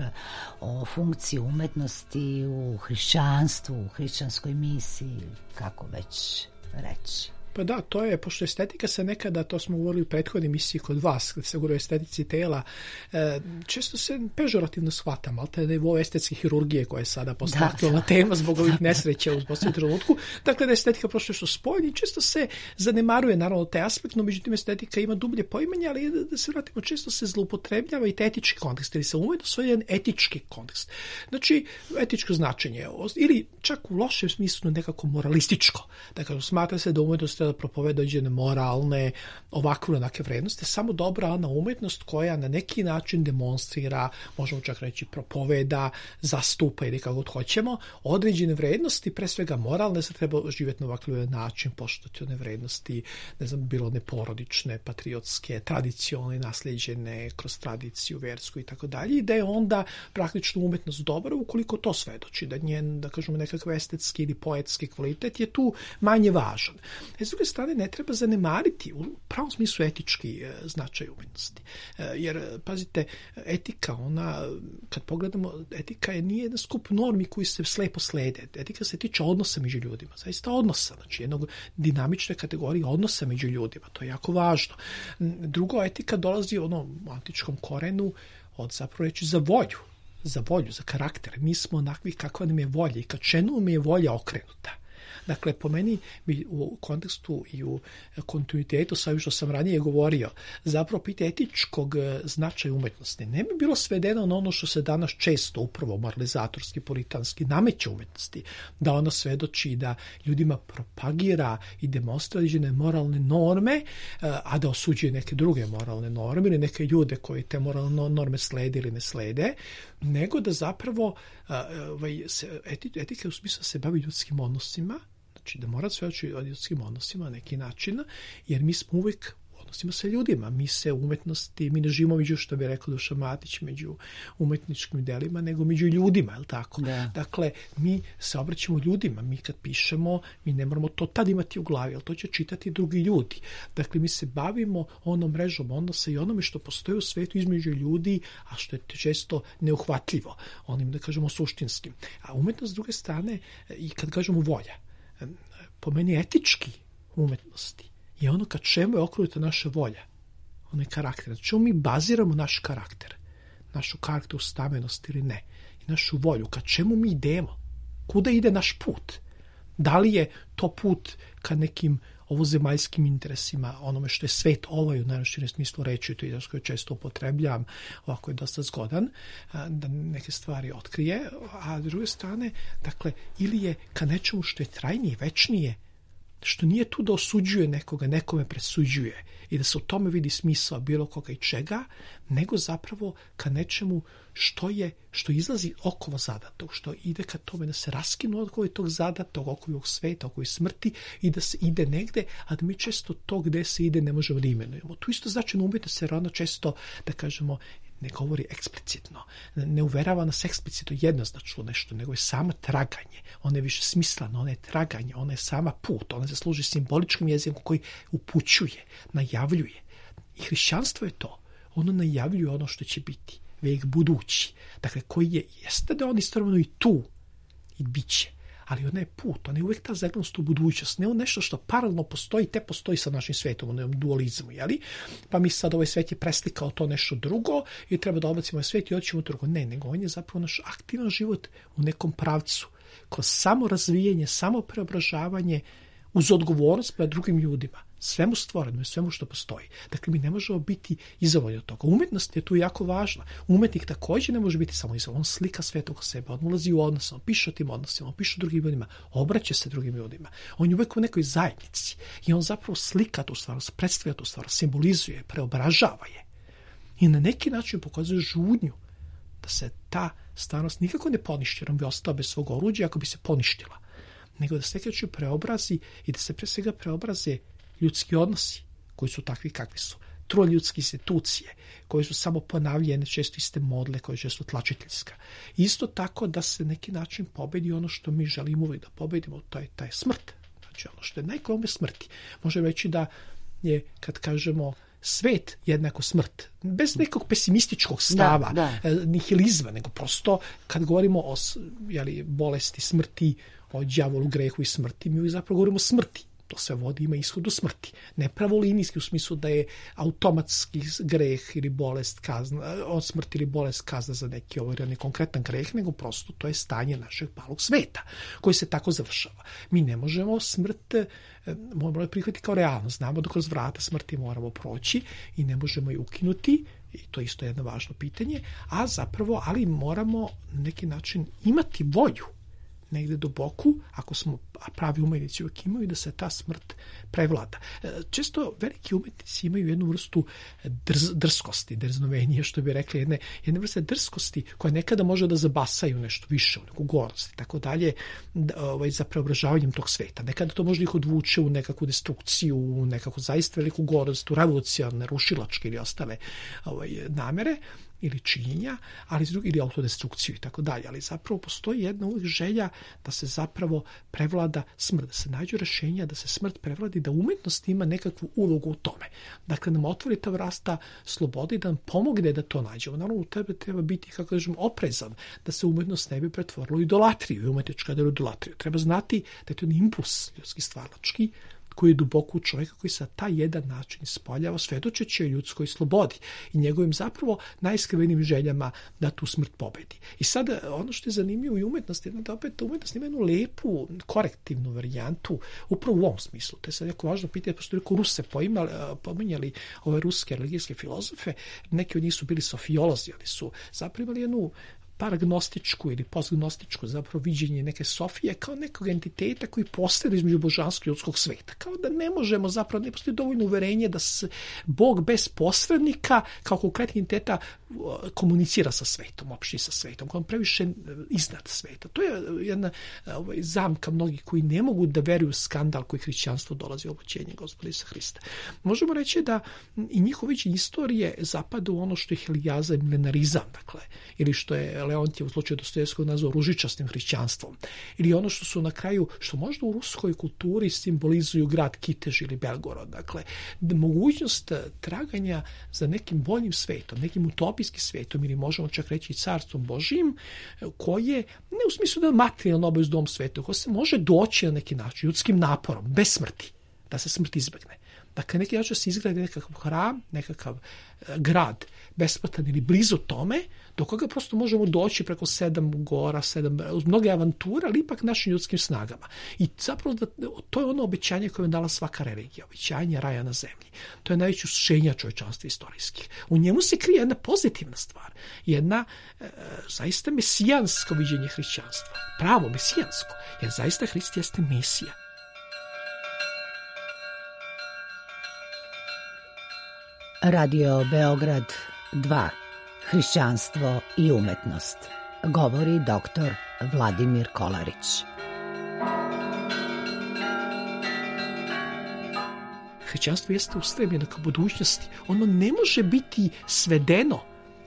o funkciji umetnosti u hrišćanstvu, u hrišćanskoj misiji, kako već reći. Pa da, to je, pošto estetika se nekada, to smo govorili u prethodnoj misiji kod vas, kada se govori o estetici tela, često se pežorativno shvatam, ali te nivo estetske hirurgije koja je sada postala tema zbog ovih nesreća u posljednjem trenutku. Dakle, da je estetika prošlo što spoljni, često se zanemaruje naravno taj aspekt, no međutim estetika ima dublje poimanje, ali da se vratimo, često se zloupotrebljava i taj etički kontekst, ili se umeđu svoj jedan etički kontekst. Znači, etičko značenje, ili čak u lošem smislu nekako moralističko. Dakle, smatra se da umetnost da propoveda određene moralne, ovakve onake vrednosti, samo dobra ona umetnost koja na neki način demonstrira, možemo čak reći propoveda, zastupa ili kako god hoćemo, određene vrednosti, pre svega moralne, se treba živjeti na ovakav način, poštovati one vrednosti, ne znam, bilo one porodične, patriotske, tradicionalne, naslijeđene kroz tradiciju, versku i tako dalje, i da je onda praktično umetnost dobra ukoliko to svedoči, da njen, da kažemo, nekakav estetski ili poetski kvalitet je tu manje važan. S druge strane, ne treba zanemariti u pravom smislu etički značaj umetnosti. Jer, pazite, etika, ona, kad pogledamo, etika nije jedan skup normi koji se slepo slede. Etika se tiče odnosa među ljudima. Zaista odnosa, znači jednog dinamične kategorije odnosa među ljudima. To je jako važno. Drugo, etika dolazi u antičkom korenu od zapravo reći za volju, za karakter. Mi smo onakvi kakva nam je volja i ka čemu nam je volja okrenuta. Dakle, po meni u kontekstu i u kontinuitetu sa ovim što sam ranije govorio, zapravo pitanje etičkog značaja umetnosti ne bi bilo svedeno na ono što se danas često upravo moralizatorski, puritanski nameće umetnosti, da ono svedoči da ljudima propagira i demonstrira određene moralne norme, a da osuđuje neke druge moralne norme ili neke ljude koji te moralne norme slede ili ne slede, nego da zapravo etika u smislu se bavi ljudskim odnosima, znači da mora svedočiti o ljudskim odnosima na neki način, jer mi smo uvijek u odnosima sa ljudima. Mi se u umetnosti, mi ne živimo među, što bi rekao Dušan Matić, među umetničkim delima, nego među ljudima, je li tako? Da. Dakle, mi se obraćamo ljudima, mi kad pišemo, mi ne moramo to tad imati u glavi, ali to će čitati drugi ljudi. Dakle, mi se bavimo onom mrežom odnosa i onome što postoji u svetu između ljudi, a što je često neuhvatljivo, onim, da kažemo, suštinskim. A umetnost s druge strane, i kad kažemo volja, po meni etički umetnosti je ono ka čemu je okrenuta naša volja, ono je karakter. Na čemu mi baziramo naš karakter, našu karakteru stamenost ili ne, i našu volju, ka čemu mi idemo, kuda ide naš put. Da li je to put ka nekim ovozemaljskim interesima, onome što je svet ovaj u najširem smislu reči, to je izraz koji često upotrebljam, ovako je dosta zgodan, da neke stvari otkrije, a s druge strane, dakle, ili je ka nečemu što je trajnije, večnije, što nije tu da osuđuje nekoga, nekome presuđuje i da se u tome vidi smisao bilo koga i čega, nego zapravo ka nečemu što izlazi okova zadatog, što ide ka tome da se raskinu okova tog zadatog, okova ovog sveta, okova smrti i da se ide negde, a da mi često to gde se ide ne možemo da imenujemo. Tu isto znači umetnost se rano često, da kažemo, ne govori eksplicitno, ne uverava nas eksplicitno jednoznačno nešto, nego je sama traganje. Ona je više smislena, ona je traganje, ona je sama put, ona se služi simboličkim jezikom koji upućuje, najavljuje. I hrišćanstvo je to. Ono najavljuje ono što će biti, vijek budući. Dakle, koji jeste da on istovremeno i tu i bit će. Ali ona je put, ona je uvijek ta zaglednost u budućnost, ne on nešto što paralelno postoji, te postoji sa našim svetom, onom dualizmu, jeli? Pa mi sad ovaj svet je preslikao to nešto drugo i treba da obacimo ovaj svet i odćemo drugo. Ne, nego on je zapravo naš aktivan život u nekom pravcu, kroz samo razvijanje, samo preobražavanje, uz odgovornost prema drugim ljudima. svemu stvorenom i svemu što postoji. Dakle, mi ne možemo biti izolovani od toga. Umetnost je tu jako važna. Umetnik također ne može biti samo izolovan. On slika svet oko sebe, on ulazi u odnos, on piše o tim odnosima, on piše o drugim ljudima, obraća se drugim ljudima. On je uvek u nekoj zajednici i on zapravo slika tu stvar, predstavlja tu stvar, simbolizuje, preobražava je. I na neki način pokazuje žudnju da se ta stvarnost nikako ne poništi, jer on bi ostao bez svog oruđa ako bi se poništila, nego da se nekako preobrazi i da se pre svega preobraze ljudski odnosi koji su takvi kakvi su. Troljudske institucije koje su samo ponavljene, često iste modle koje često tlačiteljska. Isto tako da se neki način pobedi ono što mi želimo uvijek da pobedimo, to je taj smrt. Znači ono što je najklome smrti. Možemo reći da je, kad kažemo svet jednako smrt, bez nekog pesimističkog stava, nihilizma, nego prosto kad govorimo o bolesti, smrti, o đavolu, grehu i smrti, mi zapravo govorimo o smrti. To sve vodi, ima ishod do smrti. Ne pravolinijski u smislu da je automatski greh ili bolest kazna, od smrti ili bolest kazna za neki konkretan greh, nego prosto to je stanje našeg palog sveta, koji se tako završava. Mi ne možemo smrt, moramo prihvatiti kao realno. Znamo da kroz vrata smrti moramo proći i ne možemo je ukinuti, i to je isto jedno važno pitanje, ali moramo na neki način imati volju negde do boku, ako smo pravi umetnici uvijek imaju, da se ta smrt prevlada. Često veliki umetnici imaju jednu vrstu drskosti, drznovenije, što bi rekli, jedne vrste drskosti koja nekada može da zabasaju nešto više, u neku gorost i tako dalje, za preobražavanjem tog sveta. Nekada to može ih odvuče u nekakvu destrukciju, u nekakvu zaista veliku gorost, u revolucionarne, rušilačke ili ostale namere ili činjenja, ili autodestrukciju i tako dalje. Ali zapravo postoji jedna uvijek želja da se zapravo prevlada smrt, da se nađu rešenja, da se smrt prevladi, da umetnost ima nekakvu ulogu u tome. Dakle, nam otvori ta vrsta slobode i da nam pomogne da to nađemo. Naravno, u tebe treba biti, kako kažem, oprezan, da se umetnost ne bi pretvorila u idolatriju i umetnička da je idolatriju. Treba znati da je to impuls ljudski stvaralački, koji je duboko u čovjeka, koji se na taj jedan način ispoljava, svedočeći o ljudskoj slobodi i njegovim zapravo najiskrevenijim željama da tu smrt pobedi. I sad, ono što je zanimljivo i umetnosti, da opet umetnost ima jednu lepu, korektivnu varijantu, upravo u ovom smislu. To je sad jako važno pitanje, pošto je Ruse pominjali ove ruske religijske filozofe, neki od njih su bili sofiolozi, ali su zapravo imali jednu paragnostičku ili postgnostičku zapravo viđenje neke Sofije kao nekog entiteta koji postoji između božanskog i ljudskog sveta. Kao da ne možemo, zapravo ne postoji dovoljno uverenje da se Bog bez posrednika kao konkretni entiteta komunicira sa svetom, opšti sa svetom, kao previše iznad sveta. To je jedna zamka mnogih koji ne mogu da veruju skandal koji hrišćanstvo dolazi u obućenje Gospoda Isusa Hrista. Možemo reći da i njihovo viđenje istorije zapada u ono što je helijaza i milenarizam, dakle, ili što je Leontjev u slučaju Dostojevskog nazvao ružičastim hrišćanstvom. Ili ono što su na kraju, što možda u ruskoj kulturi simbolizuju grad Kitež ili Belgorod. Dakle, mogućnost traganja za nekim boljim svetom, nekim utopijskim svetom ili možemo čak reći carstvom Božijim, koje, ne u smislu da je materijalno obavezno u ovom svetu, koje se može doći na neki način, ljudskim naporom, bez smrti, da se smrt izbegne. Dakle, neki način se izgradi nekakav hram, nekakav grad besplatan ili blizu tome, do koga prosto možemo doći preko 7 gora, uz mnoge avanture, ali ipak našim ljudskim snagama. I zapravo to je ono obećanje koje je dala svaka religija, obećanje raja na zemlji. To je najveće usluženja čovječanstva istorijskih. U njemu se krije jedna pozitivna stvar, jedna zaista mesijansko viđenje hrišćanstva. Pravo mesijansko, jer zaista Hrist jeste Mesija. Radio Beograd 2. Hrišćanstvo i umetnost. Govori doktor Vladimir Kolarić. Hrišćanstvo jeste ustremljeno ka budućnosti. Ono ne može biti svedeno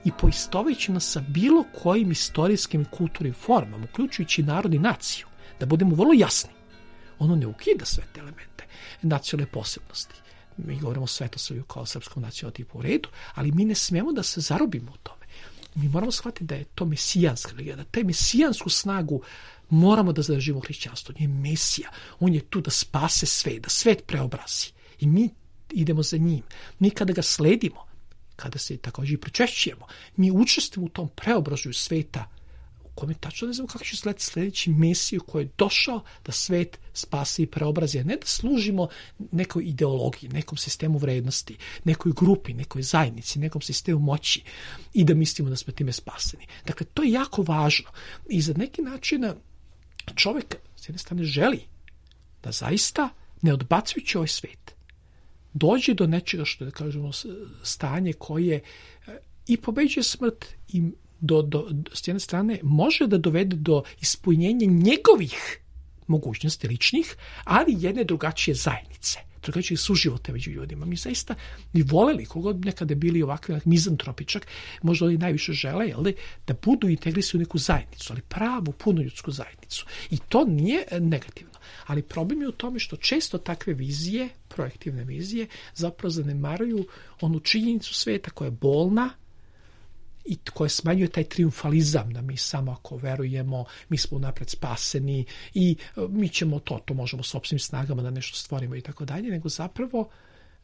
i poistovećeno sa bilo kojim istorijskim i kulturnim formama, uključujući narod i naciju. Da budemo vrlo jasni. Ono ne ukida sve te elemente nacionalne posebnosti. Mi govorimo o Svetosavlju kao srpskom nacionalnom tipu u redu, ali mi ne smemo da se zarobimo u tome. Mi moramo shvatiti da je to mesijanska religija, da taj mesijansku snagu moramo da zadržimo u hrišćanstvu. On je Mesija, on je tu da spase svet, da svet preobrazi. I mi idemo za njim. Mi kada ga sledimo, kada se također i pričešćujemo, mi učestvujemo u tom preobražaju sveta kome tačno ne znamo kako će sljedeći Mesiju koji je došao da svet spasi i preobrazi, a ne da služimo nekoj ideologiji, nekom sistemu vrednosti, nekoj grupi, nekoj zajednici, nekom sistemu moći i da mislimo da smo time spaseni. Dakle, to je jako važno. I za neki način čovjek s jedne strane želi da zaista, ne odbacujući ovaj svet, dođe do nečega što, da kažemo, stanje koje i pobeđuje smrt i s jedne strane može da dovede do ispunjenja njegovih mogućnosti ličnih, ali jedne drugačije zajednice, drugačije suživote među ljudima. Mi zaista bi voleli, kogod nekada bili ovakvi mizantropičak, možda oni najviše žele, da budu integrisani u neku zajednicu, ali pravu, punoljudsku zajednicu. I to nije negativno. Ali problem je u tome što često takve vizije, projektivne vizije, zapravo zanemaruju onu činjenicu sveta koja je bolna i koja smanjuje taj triumfalizam da mi samo ako verujemo, mi smo unapred spaseni i mi ćemo to možemo sopstvenim snagama da nešto stvorimo i tako dalje, nego zapravo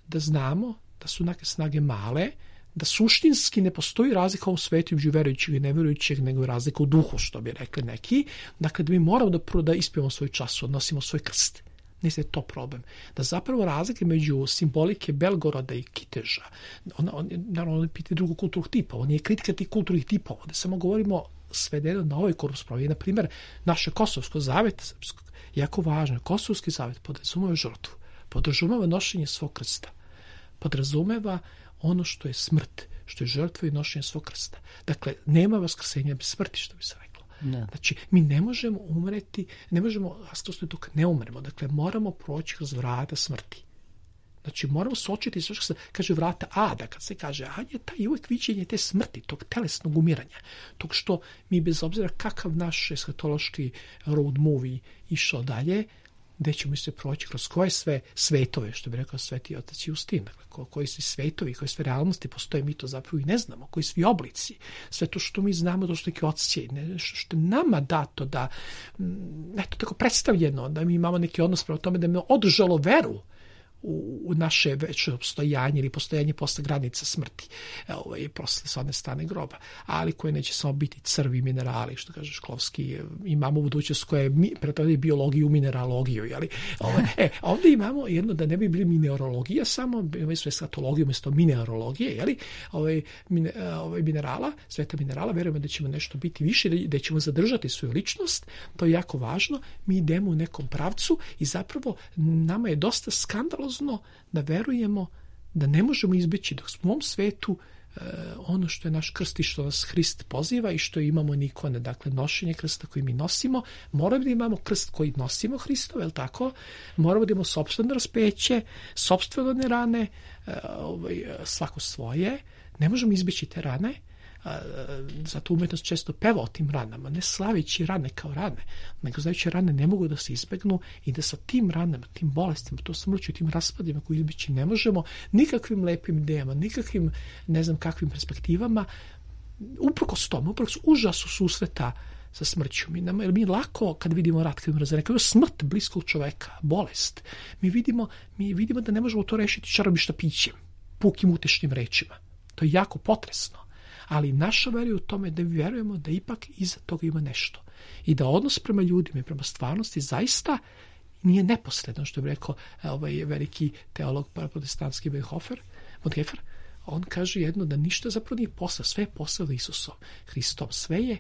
da znamo da su neke snage male, da suštinski ne postoji razlika u ovom svetu između verujućeg i neverujućeg, nego razlika u duhu, što bi rekli neki. Dakle, da mi moramo da ispijemo svoj čas, odnosimo svoj krst. Mislim da je to problem. Da zapravo razlike među simbolike Belgoroda i Kiteža, naravno, on piti drugog kulturnog tipa, on je kritika tih kulturnih tipova, da samo govorimo svedeno na ovoj korpusprovi. Na primjer, naše Kosovsko zavet srpsko, jako važno, Kosovski zavet podrazumeva žrtvu, podrazumeva nošenje svog krsta, podrazumeva ono što je smrt, što je žrtva i nošenje svog krsta. Dakle, nema vaskrsenja bez smrti, što bi se reklo. Ne. Znači, mi ne možemo umreti, ne možemo rastrosti dok ne umremo. Dakle, moramo proći kroz vrata smrti. Znači, moramo suočiti sve što se kaže vrata Ada. Kad se kaže Ad je taj uvijek viđenje te smrti, tog telesnog umiranja. Tog što mi, bez obzira kakav naš eskatološki road movie išao dalje, gde ćemo se proći kroz koje sve svetove, što bi rekao Sveti Otac Justin, dakle, koji svi svetovi, koje sve realnosti postoje, mi to zapravo i ne znamo, koji svi oblici, sve to što mi znamo, to što neki odsjej, nešto što je nama dato, da, eto tako predstavljeno, da mi imamo neki odnos prema tome, da mi održalo veru u naše veće postojanje ili postojanje posle granica smrti, posle s one strane groba, ali koje neće samo biti crvi minerali, što kaže Šklovski, imamo budućnost koja je pretavlja biologiju u mineralogiju, jeli? Ovdje imamo jedno da ne bi bili mineralogija, samo imamo eskatologiju umjesto mineralogije, jeli? Minerala, sveta minerala, verujemo da ćemo nešto biti više, da ćemo zadržati svoju ličnost, to je jako važno, mi idemo u nekom pravcu i zapravo nama je dosta skandalozno da verujemo da ne možemo izbeći dok smo u ovom svetu ono što je naš krst i što nas Hrist poziva i što imamo ikone, dakle nošenje krsta koji mi nosimo, moramo da imamo krst koji nosimo Hristov, je li tako? Moramo da imamo sopstveno raspeće, sopstvene rane, svako svoje, ne možemo izbeći te rane, zato umetnost često peva o tim ranama, ne slavići rane kao rane, nego znajući rane ne mogu da se izbegnu i da sa tim ranama, tim bolestima, to smrću, tim raspadima koji izbeći ne možemo, nikakvim lepim idejama, nikakvim ne znam kakvim perspektivama, uprkos tomu, uprkos užasu susreta sa smrću. Mi lako kad vidimo rat, kad vidimo razrednje, kad vidimo smrt bliskog čoveka, bolest, mi vidimo da ne možemo to rešiti čarobnim štapićem, pukim utešnim rečima. To je jako potresno. Ali naša vera je u tome da vjerujemo da ipak iza toga ima nešto. I da odnos prema ljudima i prema stvarnosti zaista nije neposredan, što bi rekao veliki teolog protestantski Bonhoeffer. On kaže jedno da ništa zapravo nije posao, sve je posao Isusom, Hristom. Sve je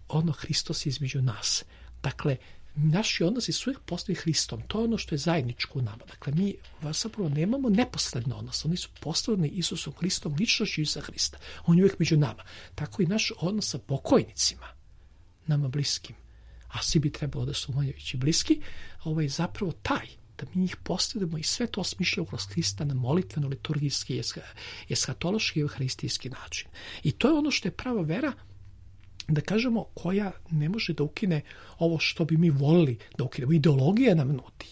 ono Hristos između nas. Dakle, naši odnosi su uvijek postali Hristom. To je ono što je zajedničko u nama. Dakle, mi zapravo nemamo neposredno odnos. Oni su postavljeni Isusom Hristom, ličnošću Isusa Hrista. On je uvijek među nama. Tako i naš odnos sa pokojnicima, nama bliskim, a svi bi trebalo da su umanjujući bliski, zapravo taj, da mi njih postavljamo i sve to osmišljamo kroz Hrista na molitveno, liturgijski, eskatološki i euharistijski način. I to je ono što je prava vera, da kažemo, koja ne može da ukine ovo što bi mi volili da ukinemo. Ideologija nam nudi.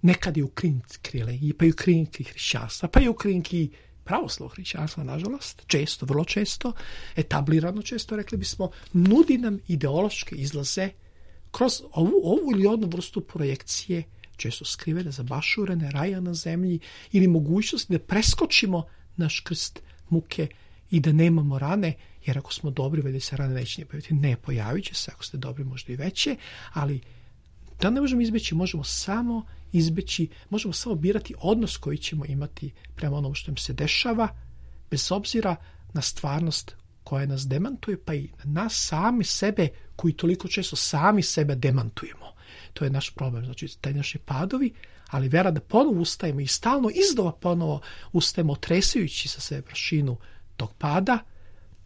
Nekad je u krinki religiji, pa je u krinki hrišćanstva, pa je u krinki pravoslavnog hrišćanstva, nažalost, često, vrlo često, etablirano često, rekli bismo, nudi nam ideološke izlaze kroz ovu ili onu vrstu projekcije, često skrivene, zabašurene, raja na zemlji, ili mogućnosti da preskočimo naš krst muke i da nemamo rane, jer ako smo dobri, valjda se rane neće pojaviti. Ne, pojavit će se, ako ste dobri, možda i veće, ali da ne možemo izbeći, možemo samo birati odnos koji ćemo imati prema onom što nam se dešava, bez obzira na stvarnost koja nas demantuje, pa i nas sami sebe, koji toliko često sami sebe demantujemo. To je naš problem, znači taj naši padovi, ali vera da ponovo ustajemo i stalno iznova ponovo ustajemo, tresajući sa sebe prašinu tog pada,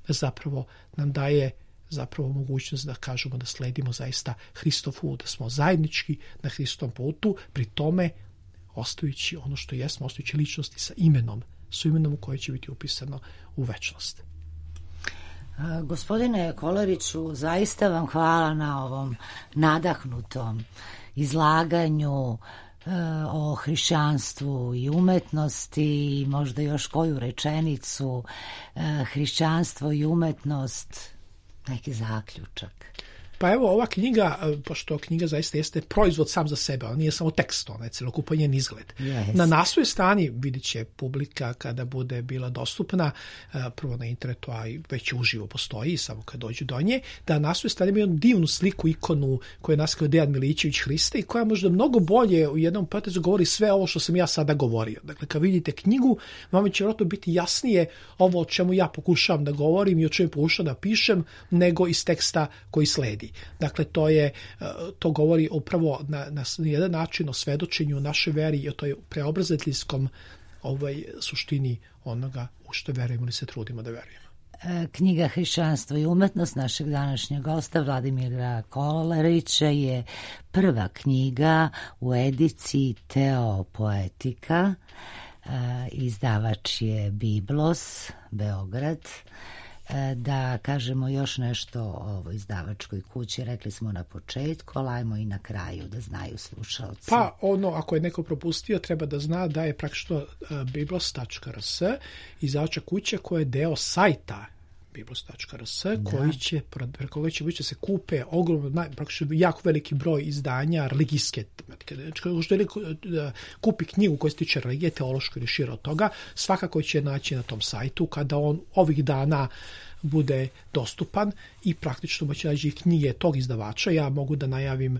zapravo nam daje zapravo mogućnost da kažemo da sledimo zaista Hristovu, da smo zajednički na Hristovom putu, pri tome ostajući ono što jesmo, ostajući ličnosti sa imenom koje će biti upisano u večnost. Gospodine Kolariću, zaista vam hvala na ovom nadahnutom izlaganju o hrišćanstvu i umetnosti i možda još koju rečenicu, hrišćanstvo i umetnost, neki zaključak. Pa evo, ova knjiga, pošto knjiga zaista jeste proizvod sam za sebe, ona nije samo tekst, ona je celokupan njen izgled. Yes. Na naslovnoj strani vidit će publika kada bude bila dostupna, prvo na internetu, a i već uživo postoji, samo kad dođu do nje, da na naslovnoj strani ima jednu divnu sliku, ikonu koju je naskao Dejan Milićević Hrista i koja možda mnogo bolje u jednom potezu govori sve ovo što sam ja sada govorio. Dakle, kad vidite knjigu, vama će vjerojatno biti jasnije ovo o čemu ja pokušavam da govorim i o čemu pokušavam da pišem, nego iz teksta koji sledi. Dakle, to govori upravo na jedan način o svedočenju naše veri i o toj preobraziteljskom suštini onoga u što verujemo ili se trudimo da verujemo. Knjiga Hrišćanstvo i umetnost našeg današnjeg gosta Vladimira Kolarića je prva knjiga u ediciji Teopoetika. Izdavač je Biblos, Beograd. Da kažemo još nešto o ovoj izdavačkoj kući, rekli smo na početku, ali ajmo i na kraju da znaju slušalci. Pa ako je neko propustio, treba da zna da je praktično biblos.rs izdavačka kuća koja je deo sajta biblos.rs, koji će moći da se kupe ogromno, praktično jako veliki broj izdanja religijske tematike. Znači, što je kupi knjigu koja se tiče religije, teološko ili šire od toga, svakako će naći na tom sajtu kada on ovih dana bude dostupan i praktično moći naći knjige tog izdavača. Ja mogu da najavim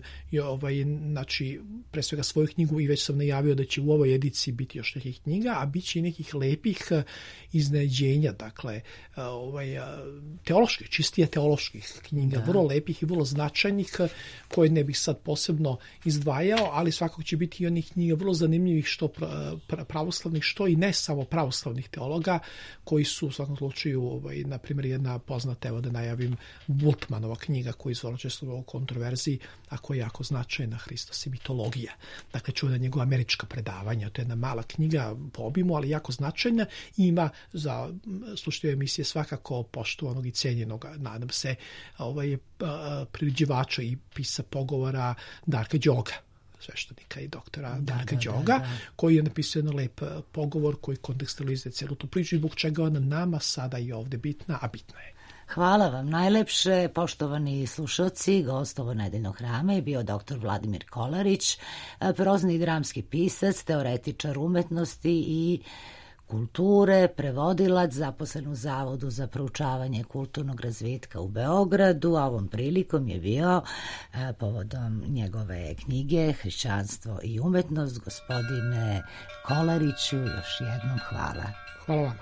znači, pre svega svoju knjigu i već sam najavio da će u ovoj ediciji biti još nekih knjiga, a bit će i nekih lepih iznenađenja, dakle, teoloških, čistije teoloških knjiga, vrlo lepih i vrlo značajnih, koje ne bih sad posebno izdvajao, ali svakako će biti i onih knjiga vrlo zanimljivih, što pravoslavnih, što i ne samo pravoslavnih teologa, koji su u svakom slučaju, na primjer, jedna poznata, evo da najavim, Bultmanova knjiga koja je izvorno često u kontroverziji, a koja je jako značajna, Hristos i mitologija. Dakle, čuvena njegova američka predavanja, to je jedna mala knjiga po obimu, ali jako značajna i ima za slušatelje emisije svakako poštovanog i cijenjenog, nadam se, priređivača i pisa pogovora Darka Đoga, sveštenika i doktora Darka Đoga, koji je napisao jedan lep pogovor koji kontekstualizuje celu tu priču i zbog čega ona nama sada i ovde bitna, a bitna je. Hvala vam najlepše, poštovani slušalci. Gost ovo nedeljnog hrama je bio dr. Vladimir Kolarić, prozni i dramski pisac, teoretičar umetnosti i kulture, prevodilac, zaposlen u Zavodu za proučavanje kulturnog razvitka u Beogradu, a ovom prilikom je bio povodom njegove knjige Hrišćanstvo i umetnost. Gospodine Kolariću, još jednom hvala. Hvala vam.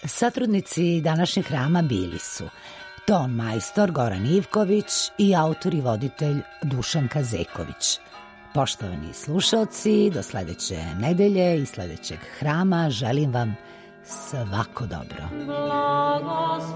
Satrudnici današnjeg hrama bili su ton majstor Goran Ivković i autor i voditelj Dušan Kazeković. Poštovani slušalci, do sledeće nedelje i sledećeg hrama želim vam svako dobro. Blagoslove